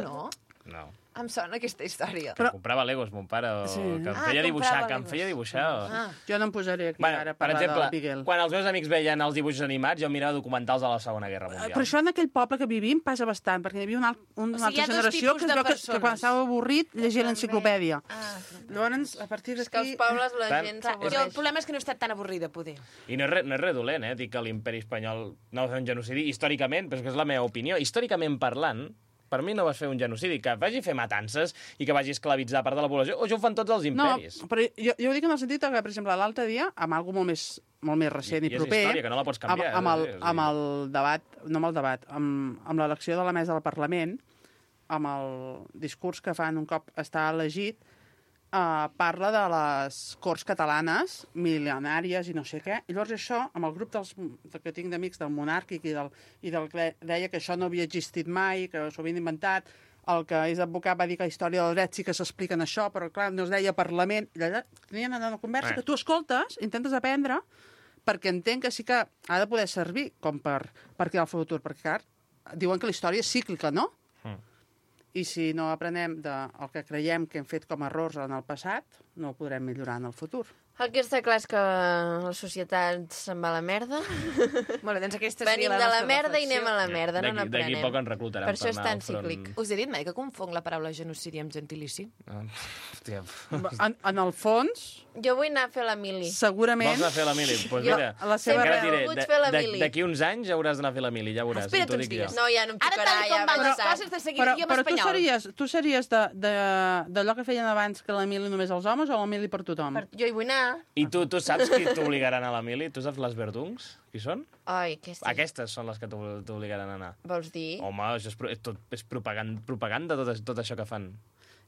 No? No. Em sona aquesta història. Però- Comprava Legos, mon pare, o Sí. que em Ah, feia dibuixar, comprava que em Legos. feia dibuixar. O... Ah. Jo no em posaré aquí Bueno, ara a per parlar exemple, del Miguel. quan els meus amics veien els dibuixos animats, jo mirava documentals de la Segona Guerra Mundial. Però això en aquell poble que vivim passa bastant, perquè hi havia una, al- una O sigui, hi ha altra dos generació tipus que, es de veu que, persones. que quan estava avorrit llegia l'enciclopèdia. Ah, Llavors, a partir és que d'aquí... als pobles la Tant- gent Clar, jo, el s'avorreix. problema és que no he estat tan avorrida, poder. I no és, re, no és res dolent, eh, dir que l'imperi espanyol no va fer un genocidi històricament, però és que és la meva opinió. Històricament parlant, Per mi no vas fer un genocidi. Que vagi a fer matances i que vagi a esclavitzar part de la població. O això ho fan tots els imperis. No, però jo, jo ho dic en el sentit que, per exemple, l'altre dia, amb algú molt més, molt més recent i, I és proper... història, que no la pots canviar, Amb, amb, el, eh? És a dir- amb el debat, no amb el debat, amb, amb l'elecció de la mesa del Parlament, amb el discurs que fan un cop està elegit, Uh, parla de les Corts catalanes, mil·lenàries i no sé què, i llavors això, amb el grup dels, que tinc d'amics del monàrquic i del, i del que deia que això no havia existit mai, que s'ho havien inventat, el que és advocat va dir que la història del dret sí que s'explica en això, però clar, no es deia Parlament, i allà tenien una conversa Eh. que tu escoltes, intentes aprendre, perquè entenc que sí que ha de poder servir com per, per crear el futur, perquè clar, diuen que la història és cíclica, no? I si no aprenem del que creiem que hem fet com a errors en el passat, no ho podrem millorar en el futur. El que està clar és que la societat se'n va a la merda. Molt bé, doncs aquesta Venim seria la de la nostra merda i reflexió. anem a la merda, no D'aquí- n'aprenem. d'aquí poc ens reclutaran Per això per és anar tan al front. cíclic. Us he dit mai que confonc la paraula genocidi amb gentilici? Ah, hòstia. En, en el fons, Jo vull anar a fer la mili. segurament... Vols anar a fer la mili? Doncs pues Jo- mira, a la seva- encara et Sempre he diré, volgut de- fer la de- mili. d'aquí uns anys hauràs d'anar a fer la mili, ja veuràs. Espera't t'ho uns dic jo. dies. No, ja no em Ara, tocarà, tal ja com van vaig les tard. coses de seguir Però, idioma però tu espanyol. series, tu series de, de, d'allò que feien abans, que la mili només als homes, o la mili per tothom? Per... Jo hi vull anar. I tu, tu saps qui t'obligaran a la mili? Tu saps les verdungs? Qui són? Ai, què sí. Aquestes són les que t'obli- t'obligaran a anar. Vols dir? Home, això és, pro- és, tot, és propaganda, propaganda tot, tot això que fan.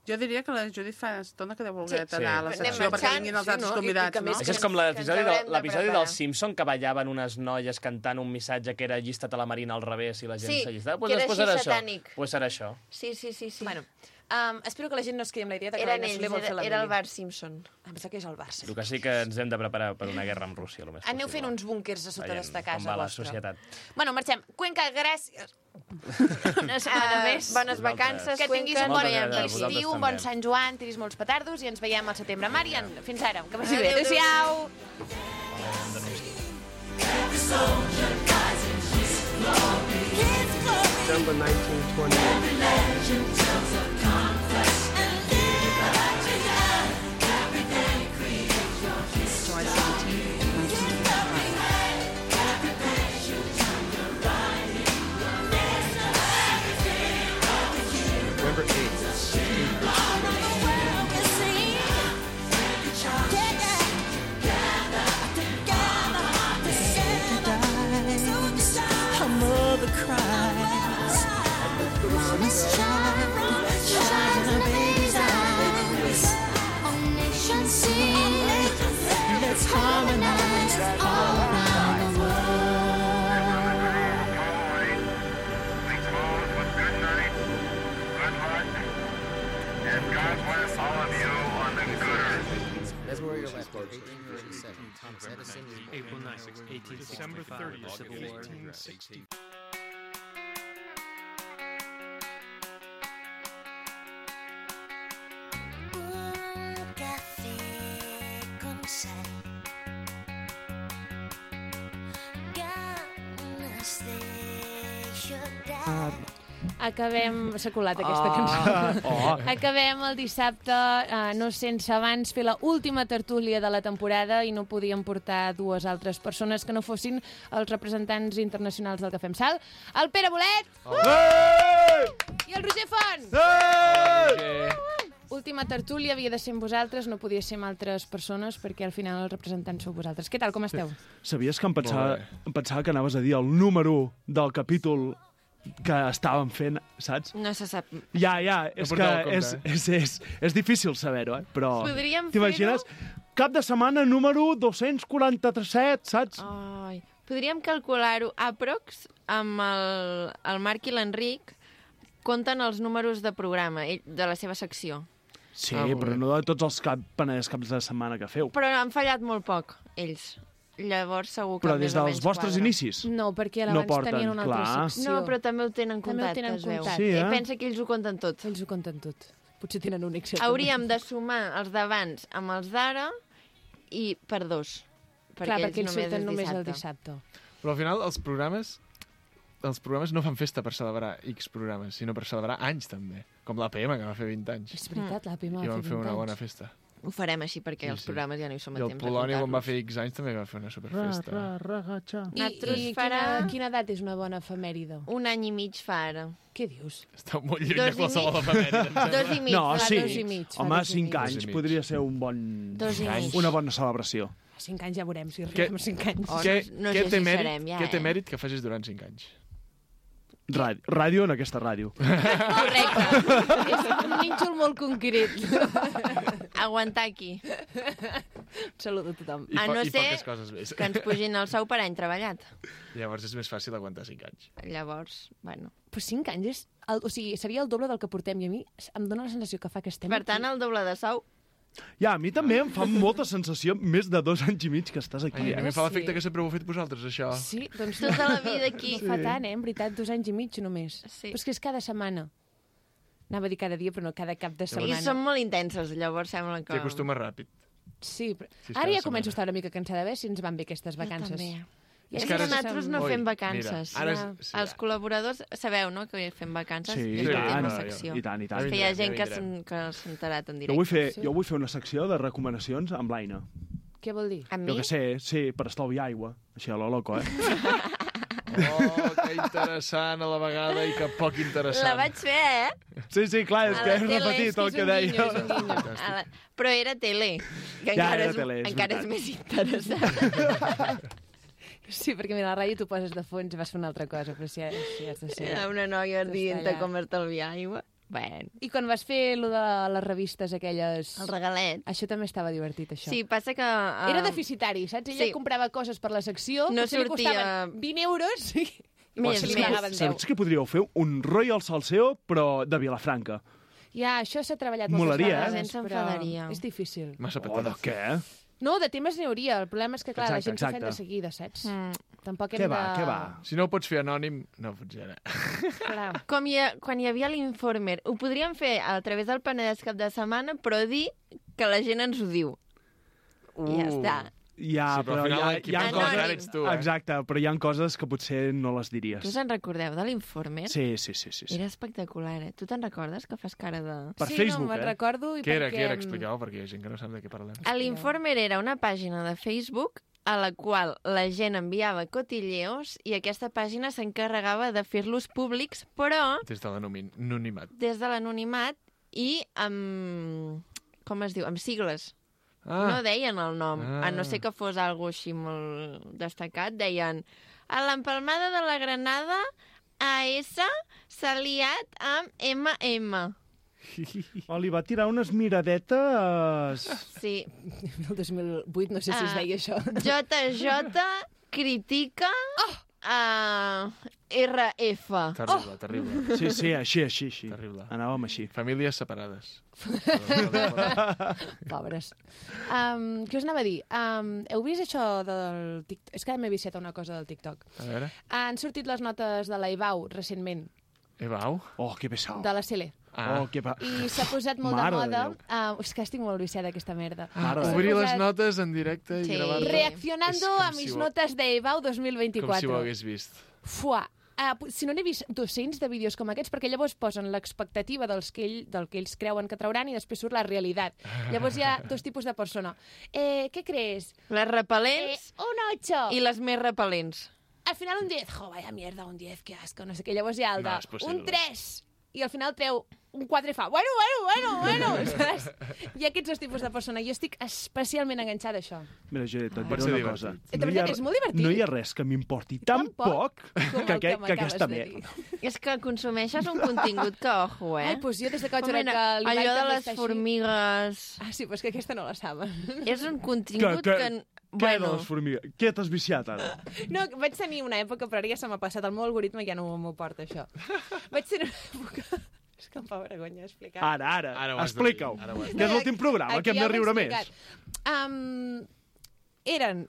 Jo diria que la Judit fa estona que deu voler Sí. anar a la Sí. secció Anem perquè marxant, vinguin els sí, altres no? I- i convidats, que no? més Això és com l'episodi que ens del, haurem de l'episodi preparar. dels Simpson que ballaven unes noies cantant un missatge que era allista't a la marina al revés i la gent Sí, s'allistava. que era pues així serà això. satànic. Pues serà això. Sí, sí, sí. sí. Bueno, um, espero que la gent no es quedi amb la idea de que Eren l'Aina ells, Soler vol fer era, la era el mili. Bart Simpson. Em sembla que és el Barça. El que sí que ens hem de preparar per una guerra amb Rússia, el més Aneu possible. fent uns búnquers a sota Veiem d'esta com casa va la vostra. societat. Bueno, marxem. Cuenca, gràcies. Una setmana Uh, més. bones vacances, Que tinguis Cuenca, un bon ens veiem Vosaltres d'aquí. estiu, un també. bon Sant Joan, tiris molts petardos i ens veiem al setembre. Marian, fins ara, que vagi bé. Adéu, adéu. Adéu-siau. December nineteen twenty-eight. July seventeenth, nineteen twenty-five. November eighth. Her mother cries. Mama's child, shines in her baby's eyes. All nations sing. Let's harmonize all around the world. February eleventh, eighteen fifty-seven, Thomas Edison was born. April ninth, eighteen sixty-five, Civil War. eighteen sixty. Un café con sal. Ganas de llorar. Acabem... S'ha colat aquesta Ah, cançó. oh. Acabem el dissabte, eh, no sense abans fer la última tertúlia de la temporada i no podíem portar dues altres persones que no fossin els representants internacionals del Cafè amb Sal. El Pere Bolet! I el Roger Font! Última tertúlia havia de ser amb vosaltres, no podia ser amb altres persones perquè al final els representants sou vosaltres. Què tal, com esteu? Sabies que em pensava, em pensava que anaves a dir el número del capítol que estàvem fent, saps? No se sap. Ja, ja, és que portava compte, és, eh? és, és, és difícil saber-ho, eh? Però Podríem t'imagines? Cap de setmana número dos-cents quaranta-set, saps? Ai, podríem calcular-ho aprox amb el, el Marc i l'Enric compten els números de programa ell, de la seva secció. Sí, però no de tots els cap, peneders caps de setmana que feu. Però han fallat molt poc, ells. Llavors segur que Però més des o dels menys vostres quadra. inicis? No, perquè No abans porten, tenien una altra clar. secció. No, però també ho tenen També ho comptat, tenen es veu. comptat. Sí, eh? Pensa que ells ho compten tot. Ells ho compten tot. Potser tenen un Excel. Hauríem de sumar els d'abans amb els d'ara i per dos. Clar, perquè ells només surten és només el dissabte. dissabte. Però al final els programes els programes no fan festa per celebrar X programes, sinó per celebrar anys també. Com l'A P M, que va fer vint anys. És veritat, l'A P M va I fer van fer vint una anys. bona festa. Ho farem així perquè els programes ja no hi som a I el temps de Polònia, quan va contar-los. fer X anys, també va fer una superfesta. Ra, ra, ragatxa. I, Nosaltres i farà- quina, quina edat és una bona efemèride? Un any i mig fa ara. Què dius? Està molt lluny Dos de i qualsevol mig. efemèride. em Dos sembla. i mig. No, fa sí. dos i mig. fa Home, dos i cinc mig. anys Dos i mig. podria ser un bon... Dos i mig. Una bona celebració. A cinc anys ja veurem si Què- arribem a cinc anys. Oh, Què, no- no què sé té si mèrit, serem ja, què té eh? mèrit que facis durant cinc anys? Ràdio, ràdio en aquesta ràdio. Correcte. És un nínxol molt concret. Aguantar aquí. Salut a tothom. I, A po no i ser poques coses més. que ens pugin el sou per any treballat. Llavors és més fàcil aguantar cinc anys. Llavors, bueno. Però cinc anys és... El, o sigui, seria el doble del que portem i a mi em dóna la sensació que fa que estem Per tant, el doble de sou. Ja, a mi també em fa molta sensació més de dos anys i mig que estàs aquí. Ai, a mi em fa l'efecte sí. que sempre ho heu fet vosaltres, això. Sí, doncs... Tota la vida aquí. No fa tant, eh? En veritat, dos anys i mig només. Sí. Però és que és cada setmana. Anava a dir cada dia, però no cada cap de I setmana. som molt intensos, llavors sembla que... T'hi acostumes ràpid. Sí, però... Sí, és Ara cada ja començo a setmana. estar una mica cansada de veure si ens van bé aquestes vacances. també. Ja És que que ara és- nosaltres no Ui, fem mira, vacances. ara és- Ja. sí, Els ja. col·laboradors sabeu, no?, que fem vacances. Sí, és i que tant, fem no, una secció. i tant, i tant. És que hi ha gent que vindrem. s'han- que s'ha enterat en Jo directe. vull, fer, Sí. jo vull fer una secció de recomanacions amb l'Aina. Què vol dir? Amb Jo mi? que sé, sí, per estalviar aigua. Així a lo loco, eh? Oh, que interessant a la vegada i que poc interessant. La vaig fer, eh? Sí, sí, clar, és A que la he tele, repetit és que el és que un deia. guinyo, és un guinyo. A la... Però era tele, que Ja, encara, era és, tele, és encara és veritat. més interessant. Sí, perquè mira, a la ràdio tu poses de fons i vas fer una altra cosa, però si, si has de ser... Era una noia dient allà. com estalviar aigua. Bueno. I quan vas fer lo de les revistes aquelles... El regalet. Això també estava divertit, això. Sí, passa que... Uh... Era deficitari, saps? Ella sí. comprava coses per la secció, No potser li sortia- costaven vint euros i Més, se li més. pagaven deu. Saps que podríeu fer un Royal Salseo, però de Vilafranca? Ja, això s'ha treballat moltes Molaria, eh? vegades, La gent però s'enfadaria. és difícil. Massa Oh, de petons. què? No, de temes n'hi hauria. El problema és que, clar, Exacte, la gent s'ho exacte. de seguida, saps? Mm. Tampoc Què hem va, de... què va? Si no ho pots fer anònim, no pots anar. Clar. Com hi ha, quan hi havia l'Informer, ho podríem fer a través del Penedès cap de setmana, però dir que la gent ens ho diu. I ja està. Ja, Sí, però però, al final hi ha, l'equip hi ha anònim. coses... ets tu, eh? Exacte, però hi ha coses que potser no les diries. Tu se'n recordeu de l'Informer? Sí, sí, sí. sí, sí. Era espectacular, eh? Tu te'n recordes que fas cara de... Per sí, Facebook, no, me'n eh? recordo i Què era, perquè... què era? Expliqueu, perquè hi ha gent que no sap de què parlem. A l'Informer era una pàgina de Facebook a la qual la gent enviava cotilleos i aquesta pàgina s'encarregava de fer-los públics, però Des de l'anonimat. des de l'anonimat i amb... com es diu? Amb sigles. Ah, No deien el nom, Ah. a no ser que fos algo així molt destacat. Deien, a l'empalmada de la Granada, A S s'ha liat amb M M. Oh, li va tirar unes miradetes... Sí. El dos mil vuit no sé si es Ah. veia això. J J critica a R F. terrible, terrible. Sí, sí, així, així, així. Terrible. Anàvem així. Famílies separades. Pobres. Um, què us anava a dir? Um, heu vist això del TikTok? És que m'he viciat a una cosa del TikTok. A veure. Han sortit les notes de la Ibau recentment, Ebau? Oh, que pesau. de la Cele. Ah. Oh, que pa... I s'ha posat molt Mare de de moda... Déu. Uh, és que estic molt viciada d'aquesta merda. Mare de S'ha Obrir les posat notes en directe i Sí. gravar-les. Reaccionando És com a si mis ho- notes de Ibau dos mil Com vint-i-quatre. si ho hagués vist. Fuà. Uh, si no n'he vist dos-cents de vídeos com aquests, perquè llavors posen l'expectativa dels que ell, del que ells creuen que trauran i després surt la realitat. Llavors hi ha dos tipus de persona. Eh, ¿Qué crees? Les repel·lents Eh, un ocho. i les més repel·lents. Al final un diez. Jo, vaya mierda, un diez, qué asco, no sé què. Llavors hi ha el de No, és possible. un tres. I al final treu un quatre i fa, bueno, bueno, bueno, bueno, saps? Hi ha aquests dos tipus de persona. Jo estic especialment enganxada a això. Mira, Judit, et Pot diré ser una cosa. divertit. De No hi veritat, ha- és molt divertit. No hi ha res que m'importi tan Tampoc poc com que, el que que, que m'acabes aquesta de merda. dir. És que consumeixes un contingut que, ojo, eh? Ai, doncs jo des de que vaig Com veure era? que l'Ibai Allò de també les està així. formigues... Ah, sí, però és que aquesta no la saben. És un contingut que... Que- que... Què de Bueno, les formigues? Què t'has viciat, ara? No, vaig tenir una època, però ara ja se m'ha passat. El meu algoritme ja no m'ho porta, això. Vaig tenir una època... És que em fa vergonya explicar. Ara, ara, Ara ho has de dir, explica-ho. ara ho has de Que és l'últim programa, Aquí que hem ja de ho he riure més. explicat. Um, eren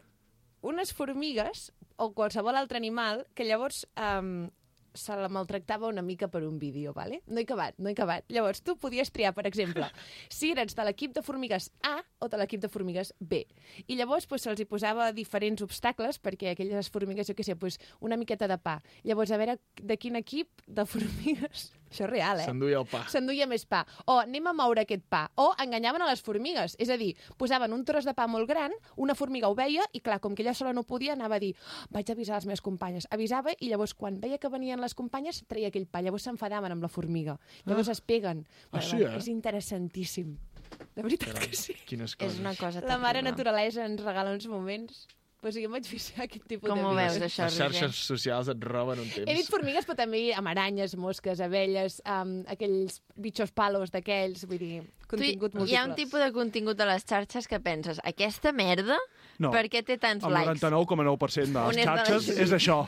unes formigues o qualsevol altre animal que llavors um, se la maltractava una mica per un vídeo, ¿vale? No he acabat, no he acabat. Llavors, tu podies triar, per exemple, si eres de l'equip de formigues A o de l'equip de formigues B. I llavors pues, se'ls hi posava diferents obstacles perquè aquelles formigues, jo què sé, pues, una miqueta de pa. Llavors, a veure de quin equip de formigues Això és real, eh? S'enduia el pa. S'enduia més pa. O anem a moure aquest pa. O enganyaven a les formigues. És a dir, posaven un tros de pa molt gran, una formiga ho veia i, clar, com que ella sola no podia, anava a dir oh, vaig avisar les meves companyes. Avisava i llavors, quan veia que venien les companyes, treia aquell pa. Llavors s'enfadaven amb la formiga. Llavors ah. es peguen. Ah, bueno, sí, eh? És interessantíssim. De veritat que sí. Quines coses. És una cosa La mare terrible. naturalesa ens regala uns moments. Pues jo em vaig fixar aquest tipus Com de ho vídeos. veus, això, Les xarxes socials et roben un temps. He dit formigues, però també amb aranyes, mosques, abelles, um, aquells bitxos palos d'aquells, vull dir, contingut Tu, múltiple. hi ha un tipus de contingut a les xarxes que penses, aquesta merda, No. per què té tants El likes? noranta-nou coma nou per cent de On les és de la xarxes gent? és això.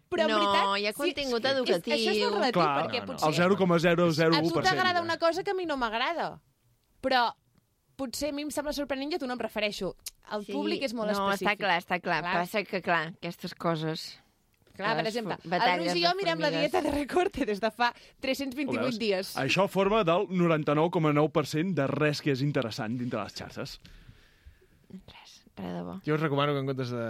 Però en no, veritat, hi ha contingut sí, educatiu. És, això és molt relatiu, Clar, perquè no, no. potser... El zero coma zero zero A u tu per cent. t'agrada una cosa que a mi no m'agrada, però potser a mi em sembla sorprenent i a tu no em refereixo. El Sí, públic és molt no, específic. està clar, està clar. Clar. Passa que, clar, aquestes coses... Clar, per les exemple, fu- el batalles Roger i de jo mirem la formigues. dieta de Recorte des de fa tres-cents Ho vint-i-vuit veus? dies. Això forma del noranta-nou coma nou per cent de res que és interessant dintre les xarxes. Res, res de bo. Jo us recomano que en comptes de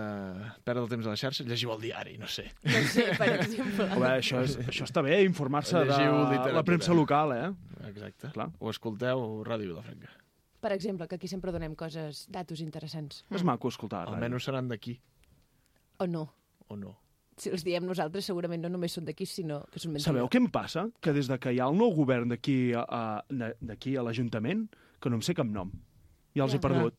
perdre el temps a les xarxes, llegiu el diari, no sé. No sé, per exemple. A veure, això, és, això està bé, informar-se de Llegiu literatura. la premsa local, eh? Exacte. Clar. O escolteu Ràdio Vilafranca. Per exemple, que aquí sempre donem coses, datos interessants. És maco escoltar. ràdio. Almenys seran d'aquí, O no. o no. Si els diem nosaltres, segurament no només són d'aquí, sinó que són mentida. Sabeu què em passa? Que des de que hi ha el nou govern d'aquí a, a, d'aquí a l'Ajuntament, que no em sé cap nom. Ja els Ja. he perdut.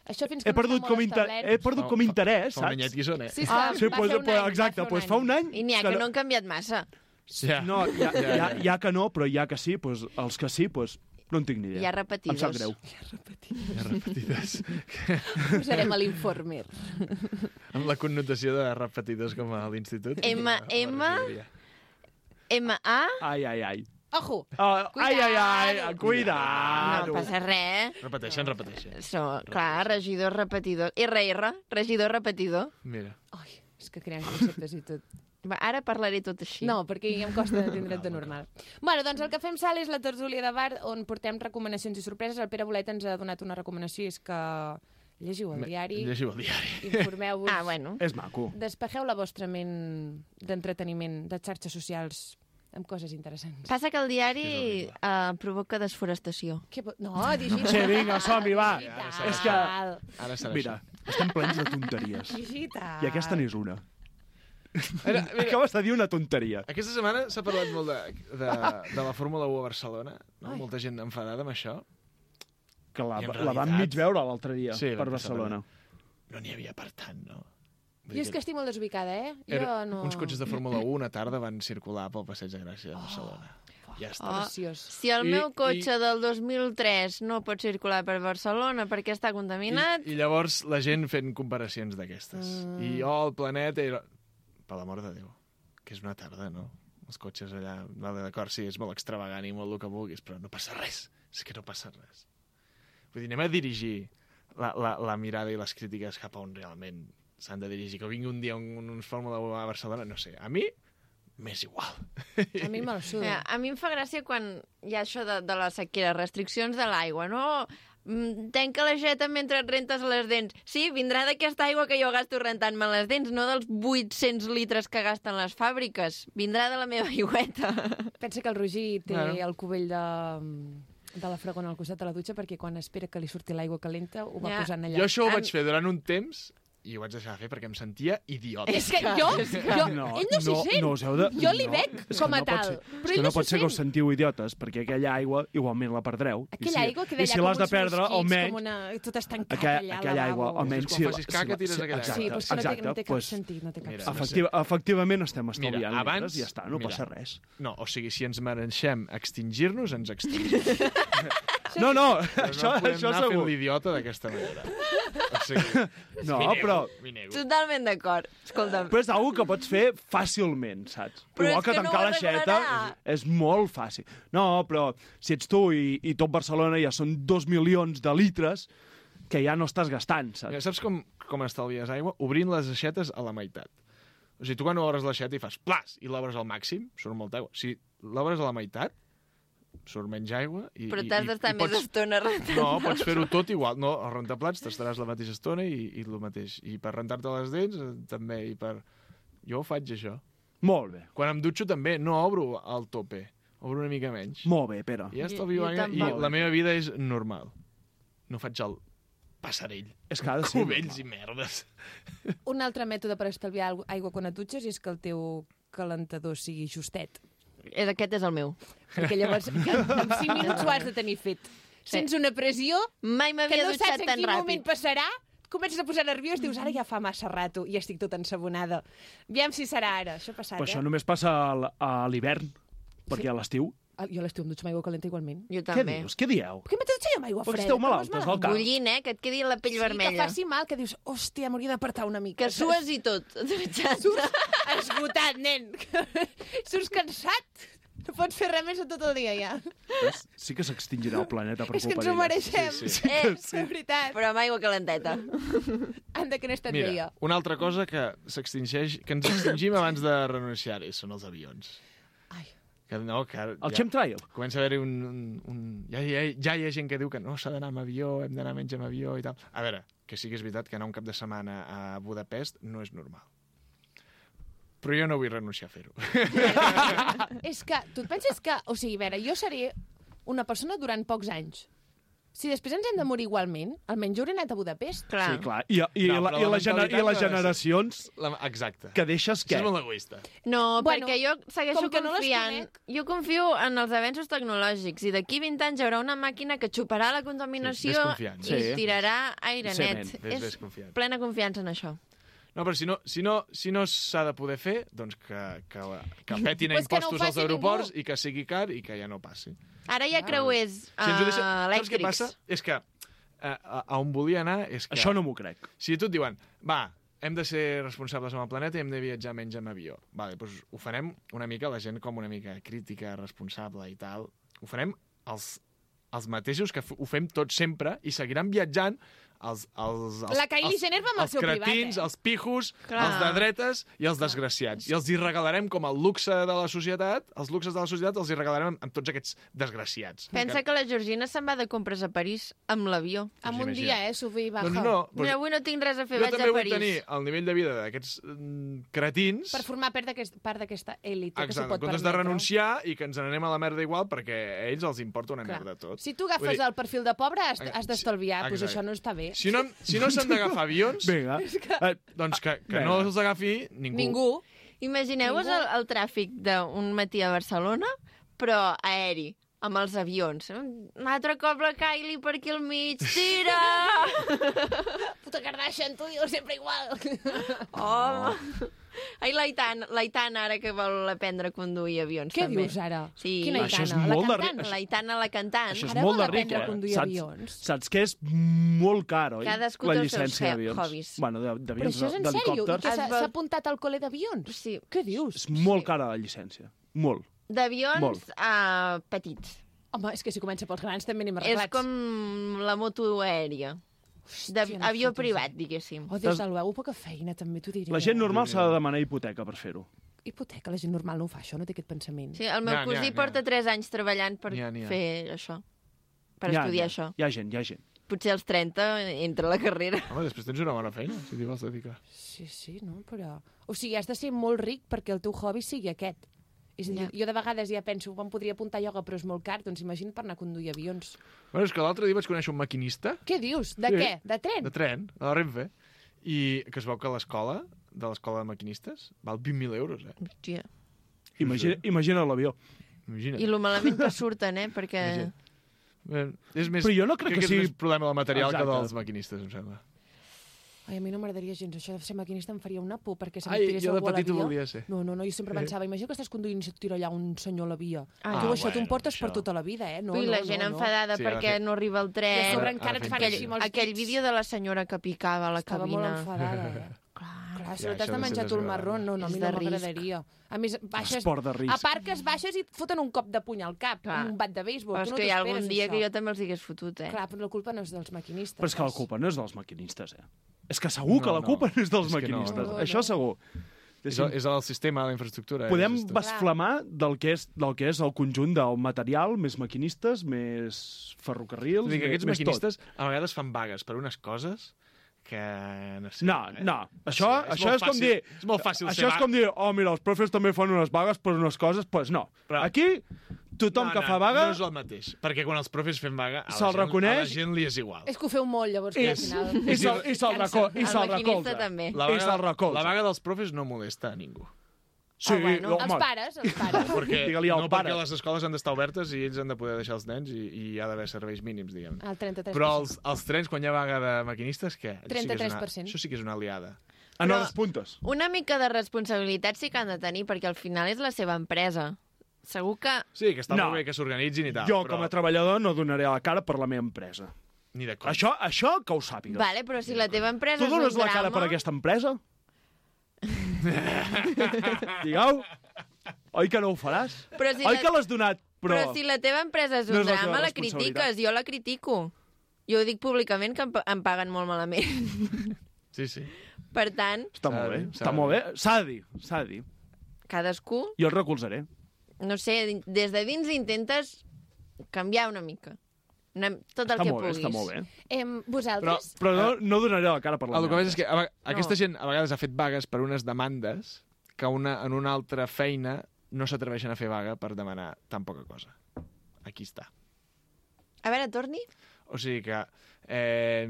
Això fins que He no perdut està com, molt inter... establert. he perdut com interès, Fa un saps? anyet que hi són, eh? Sí, esclar, Sí, va pues, fer un pues, any, exacte, va fer pues un fa un any... I n'hi ha que no han canviat massa. Ja. No, hi ha, hi, ha, hi ha que no, però hi ha que sí, pues, els que sí, pues, no en tinc ni idea. Hi ha repetidors. Em sap greu. Hi ha repetides. Posarem a l'informer. Amb la connotació de repetides com a l'institut. M, M, M, A... Ai, ai, ai. Ojo! Uh, ai, ai, ai, Cuidado. cuidado. No passa res. Repeteixen, repeteixen. So, clar, regidor, repetidor. R R, regidor, repetidor. Mira. Ai, és que creem conceptes i tot. Va, ara parlaré tot així. No, perquè ja em costa entendre't de normal. Bueno, doncs el que fem, Sal, és la tertúlia de bar on portem recomanacions i sorpreses. El Pere Bolet ens ha donat una recomanació, és que llegiu el diari, Llegiu el diari. informeu-vos, Ah, bueno. És maco. despegeu la vostra ment d'entreteniment, de xarxes socials, amb coses interessants. Passa que el diari eh, provoca desforestació. Que... bo- No, digital. Sí, vinga, som-hi, va. Digital. És que, Ara serà mira, estem plens de tonteries. Digital. I aquesta n'és una. Mira, mira. Acabes de dir una tonteria. Aquesta setmana s'ha parlat molt de, de, de la Fórmula u a Barcelona. No? Molta gent enfadada amb això. Que la, I en la vam realitat- mig veure l'altre dia, Sí, per vam passar Barcelona. No n'hi havia per tant, no? Vull Jo dir és que estic molt desubicada, eh? Jo Era, no... Uns cotxes de Fórmula u una tarda van circular pel Passeig de Gràcia de Barcelona. Oh, ja està. Oh, preciós. si el I- meu cotxe i- del dos mil tres no pot circular per Barcelona perquè està contaminat... I, I llavors la gent fent comparacions d'aquestes. Mm. I oh, el planeta... I... Per l'amor de Déu, que és una tarda, no? Els cotxes allà, vale, d'acord, sí, és molt extravagant i molt el que vulguis, però no passa res. És que no passa res. Vull dir, anem a dirigir la, la, la mirada i les crítiques cap a on realment s'han de dirigir. Que vingui un dia un, uns Fórmula u a Barcelona, no sé, a mi m'és igual. A mi me'l suda. Mira, a mi em fa gràcia quan hi ha això de, de la sequera, restriccions de l'aigua, no? Mm, Tenca l'aixeta mentre et rentes les dents. Sí, vindrà d'aquesta aigua que jo gasto rentant-me les dents, no dels vuit-cents litres que gasten les fàbriques. Vindrà de la meva aigüeta. Pensa que el Roger té Bueno. el cubell de, de la fragona al costat de la dutxa perquè quan espera que li surti l'aigua calenta ho va Ja. posant allà. Jo això ho Em- vaig fer durant un temps i ho vaig deixar de fer perquè em sentia idiota. És que jo, jo No, ell no s'hi no, sent. no us heu de... Jo li no, veig és que com a no pot tal, ser- però és ell que no no pot s'hi ser que us sent. sentiu idiotes, perquè aquella aigua igualment la perdreu. I Aquella si, aigua que I d'allà si com l'has de uns perdre, mosquits, almenys... com una... tot estancat Aquella, allà al aquella aigua, lavabo. almenys... Quan Si, facis caca, tires aquella aigua. Sí, però és que no té, no té cap pues, sentit, no té cap Mira, sentit. efectiva, efectivament estem Mira, estalviant abans... litres i ja està, no mira, passa res. No, o sigui, si ens mereixem extingir-nos, ens extingim. No, no, Però això, no podem això anar fent segur. l'idiota d'aquesta manera. O sigui, No, m'hi nego, però, m'hi nego. Totalment d'acord. Escolta'm. però és una que pots fer fàcilment, saps? Però Igual és que que no tancar ho l'aixeta arreglarà. és molt fàcil. No, però si ets tu i, i tot Barcelona ja són dos milions de litres que ja no estàs gastant, saps? Mira, saps com, com estalvies aigua? Obrint les aixetes a la meitat. O sigui, tu quan obres l'aixeta i fas plas i l'obres al màxim, surt molta aigua. Si l'obres a la meitat, surt menys aigua i... Però i- t'has i- d'estar i més pots- estona rentant. No, pots fer-ho tot igual. No, al rentaplats t'estaràs la mateixa estona i, i el mateix. I per rentar-te les dents, eh, també. I per... Jo ho faig, això. Molt bé. Quan em dutxo, també, no obro al tope. obro una mica menys. Molt bé, Pere. I ja Jo- estalvio jo aigua i tampoc. la meva vida és normal. No faig el passarell. És que ha de ser Cubells i merdes. Un altre mètode per estalviar aigua- aigua quan et dutxes és que el teu calentador sigui justet. És, aquest és el meu. Perquè llavors que en cinc minuts ho has de tenir fet. Sents una pressió Mai que m'havia no dutxat saps en tan quin moment ràpid. passarà, comences a posar nerviós, dius, ara ja fa massa rato i estic tot ensabonada. Aviam si serà ara. Això ha passat, Però eh? això només passa a l- a l'hivern, perquè a l'estiu... Ah, jo a l'estiu em dutxo amb aigua calenta igualment. Jo Què també. dius? Què dieu? Què m'he de dutxar jo amb aigua Perquè freda? esteu que no és malaltes del cap. Bullint, eh? Que et quedi la pell Sí, vermella. que faci mal, que dius, hòstia, m'hauria d'apartar una mica. Que sues i tot. Dutxat. Esgotat, nen. Surts cansat. No pots fer res més a tot el dia, ja. Ves? Sí que s'extingirà el planeta per És que culpa ens ho d'elles. mereixem. Sí, sí. Eh, de veritat. Però amb aigua calenteta. Anda, que no he estat Mira, bé jo. una altra cosa que s'extingeix, que ens extingim abans de renunciar-hi són els avions. Ai. Que no, que ara El ja chemtrail? comença a haver-hi un... un, un ja, ja, ja hi ha gent que diu que no, s'ha d'anar amb avió, hem d'anar menys amb avió i tal. A veure, que sí que és veritat que anar un cap de setmana a Budapest no és normal. Però jo no vull renunciar a fer-ho. És que, tu et penses que... O sigui, a veure, jo seré una persona durant pocs anys. Si després ens hem de morir igualment, almenys jo hauré anat a Budapest. Clar. Sí, clar. I, i, No, la, però i, la la gener, I les mentalitat no és- generacions La, exacte. que deixes Això què? és molt egoista. No, Bueno, perquè jo segueixo com que no les confiant... conec. Jo confio en els avenços tecnològics i d'aquí vint anys hi haurà una màquina que xuparà la contaminació Sí, ves confiant. i Sí. tirarà aire Sí, net. ves- ves És confiant. plena confiança en això. No, però si no si no, si no s'ha de poder fer, doncs que, que, que petin a Pues que no ho impostos als faci aeroports ningú. i que sigui car i que ja no passi. Ara hi ha creuers Si ens ho deixa... uh, Saps què elèctrics. passa? És que a, a, a on volia anar és que... Això no m'ho crec. Si a tu et diuen, va, hem de ser responsables amb el planeta i hem de viatjar menys amb avió. Vale, doncs ho farem una mica, la gent com una mica crítica, responsable i tal. Ho farem els, els mateixos que f- ho fem tots sempre i seguiran viatjant els, els, els, La Kylie els, Jenner va amb el els seu privat, cretins, eh? els pijos, Clar. els de dretes i els desgraciats. I els hi regalarem com el luxe de la societat, els luxes de la societat els hi regalarem amb, amb tots aquests desgraciats. Pensa que la Georgina se'n va de compres a París amb l'avió. En un imagina't. dia, eh, sube i baja. Doncs no, Mira, avui no tinc res a fer, jo vaig també a vull París. tenir el nivell de vida d'aquests mm, cretins. Per formar part d'aquest- part d'aquesta èlit que s'ho Exacte, en pot comptes permetre. de renunciar i que ens n'anem a la merda igual perquè a ells els importa una Clar. merda tot. Si tu agafes Vull dir, el perfil de pobre, has, has d'estalviar. Doncs exacte. això no està bé. Si no, si no s'han d'agafar avions, Vinga. eh, doncs que, que Vinga. no els agafi ningú. Ningú. Imagineu-vos el, el tràfic d'un matí a Barcelona, però aeri, amb els avions. Un altre cop la Kylie per aquí al mig. Tira! Puta Kardashian, tu dius sempre igual. Oh! Ai, l'Aitana, l'Aitana ara que vol aprendre a conduir avions, Què també. dius ara? Sí. Quina Això és Aitana? La molt de cantant? ri- L'Aitana, la cantant. Això és Ara molt vol de ric, aprendre a eh? conduir Saps, avions. saps que és molt car, oi? Cadascú la té els seus llicència he- d'avions. hobbies. Bueno, de- Però d'avions, això és en sèrio? I d'helicòpters. que s'ha Es vol- s'ha apuntat al col·le d'avions? Sí. Què dius? És molt cara la llicència. Molt. D'avions Molt. uh, petits. Home, és que si comença pels grans també anem És arreglats. com la moto aèria. Hòstia, no D'avió fotis. privat, diguéssim. Oh, des del veu, poca feina, també t'ho diré. La gent normal s'ha de demanar hipoteca per fer-ho. Hipoteca, la gent normal no ho fa, això, no té aquest pensament. Sí, el meu N'hi ha, n'hi ha, cosí n'hi ha. porta tres anys treballant per N'hi ha, n'hi ha. fer això. Per Hi ha, estudiar hi ha, això. Hi ha gent, hi ha gent. Potser als trenta entra a la carrera. Home, després tens una bona feina, si t'hi vols dedicar. Sí, sí, no? Però... O sigui, has de ser molt ric perquè el teu hobby sigui aquest. És a dir, Ja. jo de vegades ja penso, em podria apuntar a ioga, però és molt car, doncs imagina per anar a conduir avions. Bueno, és que l'altre dia vaig conèixer un maquinista Què dius? De Sí. què? De tren? de tren, a la Renfe, i que es veu que l'escola, de l'escola de maquinistes, val vint mil euros, eh? Hòstia. Imagina, imagina l'avió. Imagina't. I lo malament que surten, eh? Perquè... Imagina't. Eh, És més, Però jo no crec que és sigui- més problema del material Exacte. que dels maquinistes, em sembla. Ai, a mi no m'agradaria gens. Això de ser maquinista em faria una por, perquè se Ai, tirés jo de algú a la petit ho via. volia ser. No, no, no, jo sempre pensava, imagina que estàs conduint i se't tira allà un senyor a la via. Ah, tu això t'ho bueno, emportes per això. tota la vida, eh? No, Ui, no, la no, gent no. enfadada Sí, ha de perquè fer- no arriba el I a tren. sobre Ara- encara ara et fem fan que- així amb els Aquell dits. vídeo de la senyora que picava a la Estava cabina. molt enfadada, eh? Clar, Ja, si no això t'has de ha de menjar ser tu el desagradable. marrón, no, no, a És mi de no risc. m'agradaria. A més, baixes... Esport de risc. A part que es baixes i et foten un cop de puny al cap, Clar. un bat de béisbol. Però Tu és no que hi ha t'ho algun esperes, dia això. que jo també els hagués fotut, eh? Clar, però la culpa no és dels maquinistes. Però és que la culpa no és dels maquinistes, eh? És que segur No, que la no. culpa no és dels És que no, maquinistes. no, no. Això segur. És, el, és el sistema, la infraestructura. Podem és esto. basflamar del que, és, del que és el conjunt del material, més maquinistes, més ferrocarrils, Vull dir que més, aquests més maquinistes a vegades fan vagues per unes coses que no sé. No, eh? no. Això, Sí, això molt és com fàcil- dir... És molt fàcil Això ser és com vaga. dir, oh, mira, els profes també fan unes vagues per unes coses. Doncs pues no. Però- Aquí tothom no, que no, fa vaga... No és el mateix, perquè quan els profes fem vaga, a la, Se'l gent, reconeix... a la gent li és igual. És que ho feu molt, llavors, que al És- final... I se'l i se'l reco- i se'l recolza. també. La I se'l vaga, recolza. la vaga dels profes no molesta a ningú. Sí, Ah, bueno, home. els pares, els pares. Perquè, Digue-li al no pare. perquè les escoles han d'estar obertes i ells han de poder deixar els nens i, i hi ha d'haver serveis mínims, diguem. El trenta-tres per cent. Però els, els trens, quan hi ha vaga de maquinistes, què? Això sí que és trenta-tres una- per cent. Això sí que és una aliada. En Però- hores puntes. Una mica de responsabilitat sí que han de tenir, perquè al final és la seva empresa. Segur que... Sí, que està No. molt bé que s'organitzin i tal. Jo, però... com a treballador, no donaré la cara per la meva empresa. Ni de conya. Això, això que ho sàpigues. Vale, però si la teva empresa Tu és un dones la drama... cara per aquesta empresa? Digueu. Oi que no ho faràs? Però si Oi la- que l'has donat, però... Però si la teva empresa és un No és la teva drama, la responsabilitat. critiques. Jo la critico. Jo ho dic públicament, que em, pa- em paguen molt malament. Sí, sí. Per tant, Està S'ha molt de bé, dir, s'ha està de molt bé. dir. S'ha de dir, s'ha de dir. cadascú, Jo el recolzaré. no sé, des de dins intentes canviar una mica. Una, tot el Està que molt bé, puguis. està molt bé. Em, Però, vosaltres... Però no, no donaré la cara per la el que meva passa és que a, veg- aquesta No. gent a vegades ha fet vagues per unes demandes que una, en una altra feina no s'atreveixen a fer vaga per demanar tan poca cosa. Aquí està. A veure, torni. O sigui que eh,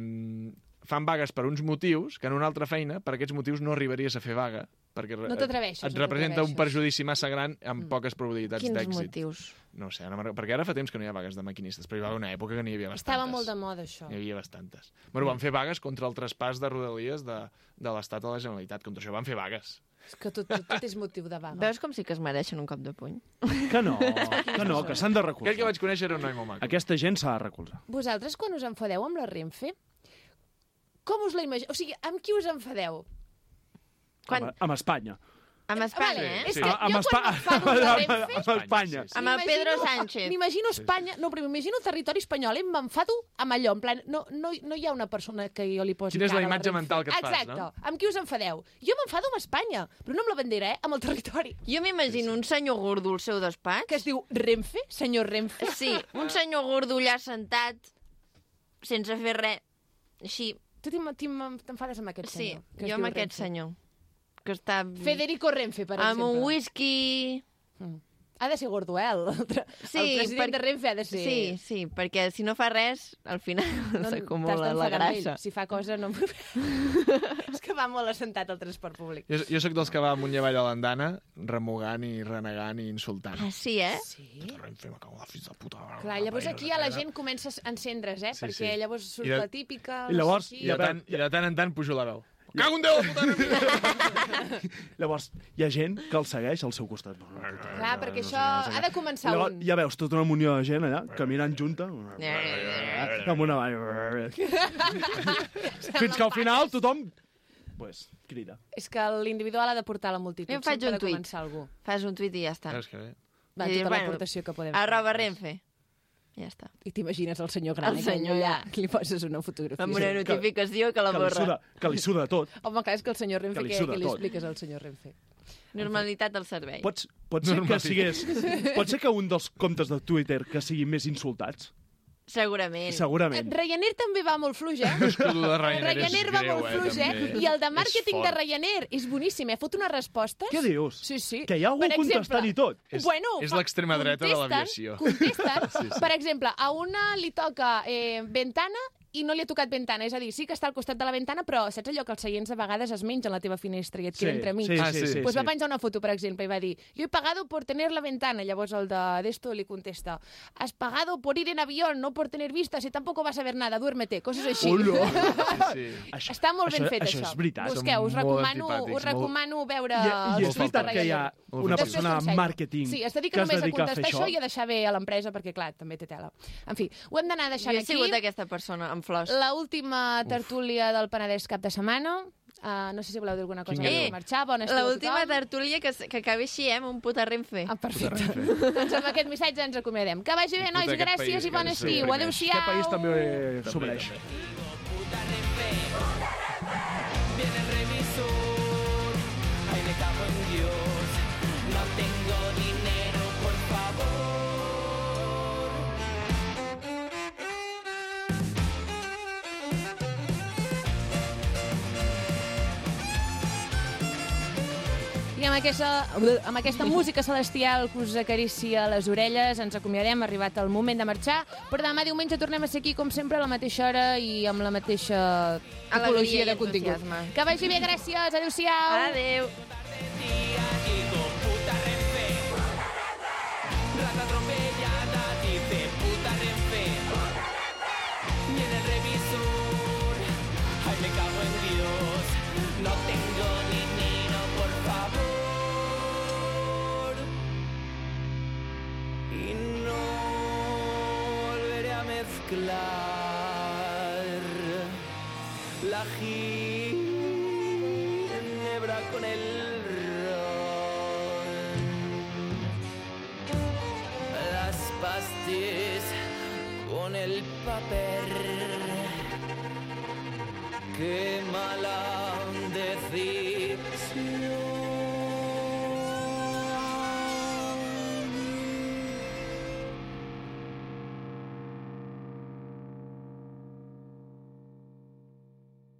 fan vagues per uns motius que en una altra feina, per aquests motius, no arribaries a fer vaga, perquè re- No t'atreveixes, et no representa un t'atreveixes. perjudici massa gran amb poques probabilitats Quins d'èxit. motius? No ho sé, no me'n- perquè ara fa temps que no hi ha vagues de maquinistes, però hi va haver una època que n'hi havia bastantes. Estava molt de moda, això. N'hi havia bastantes. Bueno, van fer vagues contra el traspàs de rodalies de, de l'Estat a la Generalitat. Contra això van fer vagues. És que tot, tot, tot és motiu de vaga. Veus com sí que es mereixen un cop de puny? Que no, que no, que s'han de recolzar. Aquell que vaig conèixer era un noi molt maco. Aquesta gent s'ha de recolzar. Vosaltres, quan us enfadeu amb la Renfe, com us la imagineu? O sigui, amb qui us enfadeu? Quan... Amb, amb Espanya. Amb Espanya, Vale, eh? és Sí. que Amb jo Espa- quan m'enfado amb la Renfe... amb Espanya. Sí, sí. Amb el Pedro m'imagino- Sánchez. M'imagino Espanya... No, però m'imagino el territori espanyol i m'enfado amb allò. En plan, no, no, no hi ha una persona que jo li posi Quina és la cara a imatge Renfe. mental que et fas, Exacte. no? Amb qui us enfadeu? Jo m'enfado amb Espanya, però no amb la bandera, eh? Amb el territori. Jo m'imagino un senyor gordo al seu despatx. Que es diu Renfe, senyor Renfe. Sí, un senyor gordo allà sentat, sense fer res. Així, Tu t'im- t'im- t'enfades amb aquest sí, senyor. que es jo diu amb aquest Renfe. senyor. Que està... Federico Renfe, per amb exemple. un whisky... Ha de ser gordo, eh? El, Sí, el president per- de Renfe ha de ser... Sí, sí, perquè si no fa res, al final No, s'acumula t'has la d'enfadar amb ell. grassa. Si fa cosa, no... És que va molt assentat al transport públic. Jo, jo sóc dels que va amunt i avall a l'andana, remugant i renegant i insultant. Ah, sí, eh? Sí? Renfe, me cago en la fills de puta. Clar, llavors aquí ja la gent comença a encendre's, eh? Sí, Perquè sí. llavors surt I de- la típica... I llavors- no sé I qui. de, tant, I de tant en tant pujo la veu. Cago en Déu, la puta enemiga! Llavors, hi ha gent que el segueix al seu costat. Clar, perquè això ha de començar Llavors, un. ja veus tota una munió de gent allà, caminant junta, amb una vall. Fins que al final tothom pues, crida. És que l'individual ha de portar la multitud. Jo em faig Sempre un ha de tuit. començar algú. Fas un tuit i ja està. Veus que bé? Va, I tota dius, l'aportació que podem Arroba fer. Renfe. Ja està. I t'imagines el senyor gran El aquell senyor allà, allà. que li poses una fotografia. Amb una Sí. notificació que la Que li borra. suda, que li suda tot. Home, clar, és que el senyor Renfe, Que li què, suda què li tot. expliques al senyor Renfe? Normalitat del servei. Pots, pot ser que Normalitat. sigués... Pot ser que un dels comptes de Twitter que siguin més insultats? Segurament. Segurament. Ryanair també va molt fluix, eh? És que el de Ryanair és Ryanair va greu, molt eh, fluix, eh? també. I el de És màrqueting de fort. Ryanair és boníssim, eh? Fot unes respostes... Què dius? Sí, sí. Que hi ha algú Per exemple, contestant i tot. És- bueno, és fa- l'extrema dreta de contesten- l'aviació. Contesten, Sí, sí. per exemple, a una li toca eh, ventana i no li ha tocat ventana. És a dir, sí que està al costat de la ventana, però saps allò que els seients a vegades es mengen la teva finestra i et Sí, queda entremig? sí, Ah, sí, sí. sí, Pues va sí. penjar una foto, per exemple, i va dir yo he pagado por tener la ventana. Llavors el de d'esto li contesta has pagado por ir en avión, no por tener vistas y tampoco vas a ver nada, duérmete, coses així. Hola! Sí, sí. Això, Està molt ben això, fet, això. això. és veritat. Busqueu, us Són molt recomano, antipàtics, us recomano veure I, i els és posts de veritat que hi ha Ryanair. una Després persona t'ensenyo. màrqueting Sí, es dedica que es només a dedica a fer contestar això això. i a deixar bé a l'empresa, perquè, clar, també té tela. En fi, ho hem d'anar Jo deixant he aquí. sigut aquesta persona, amb flors. La última tertúlia del Penedès cap de setmana. Uh, no sé si voleu dir alguna cosa Quin abans Eh, de marxar. Bon estiu a L'última tothom. tertúlia que, s- que acabi així, eh, amb un puta Renfe. Ah, perfecte. doncs amb aquest missatge ens acomiadem. Que vagi bé, nois, Puta, aquest gràcies país i bon que ens estiu. oprimeix. Adéu-siau. Aquest país també s'obreix. Viene el revisor, ay me cago en Dios, no tengo dinero, por favor. I amb aquesta, amb aquesta música celestial que us acaricia les orelles ens acomiadem, ha arribat el moment de marxar, però demà diumenge tornem a ser aquí, com sempre, a la mateixa hora i amb la mateixa tipologia de contingut. Que vagi bé, gràcies, adéu-siau. Adéu. Rata atropellada, dice puta Renfe. Viene el revisor, ay me cago en Dios. No tengo dinero, por favor. Y no volveré a mezclar la ginebra con el pastis con el papel. Qué mala decisión.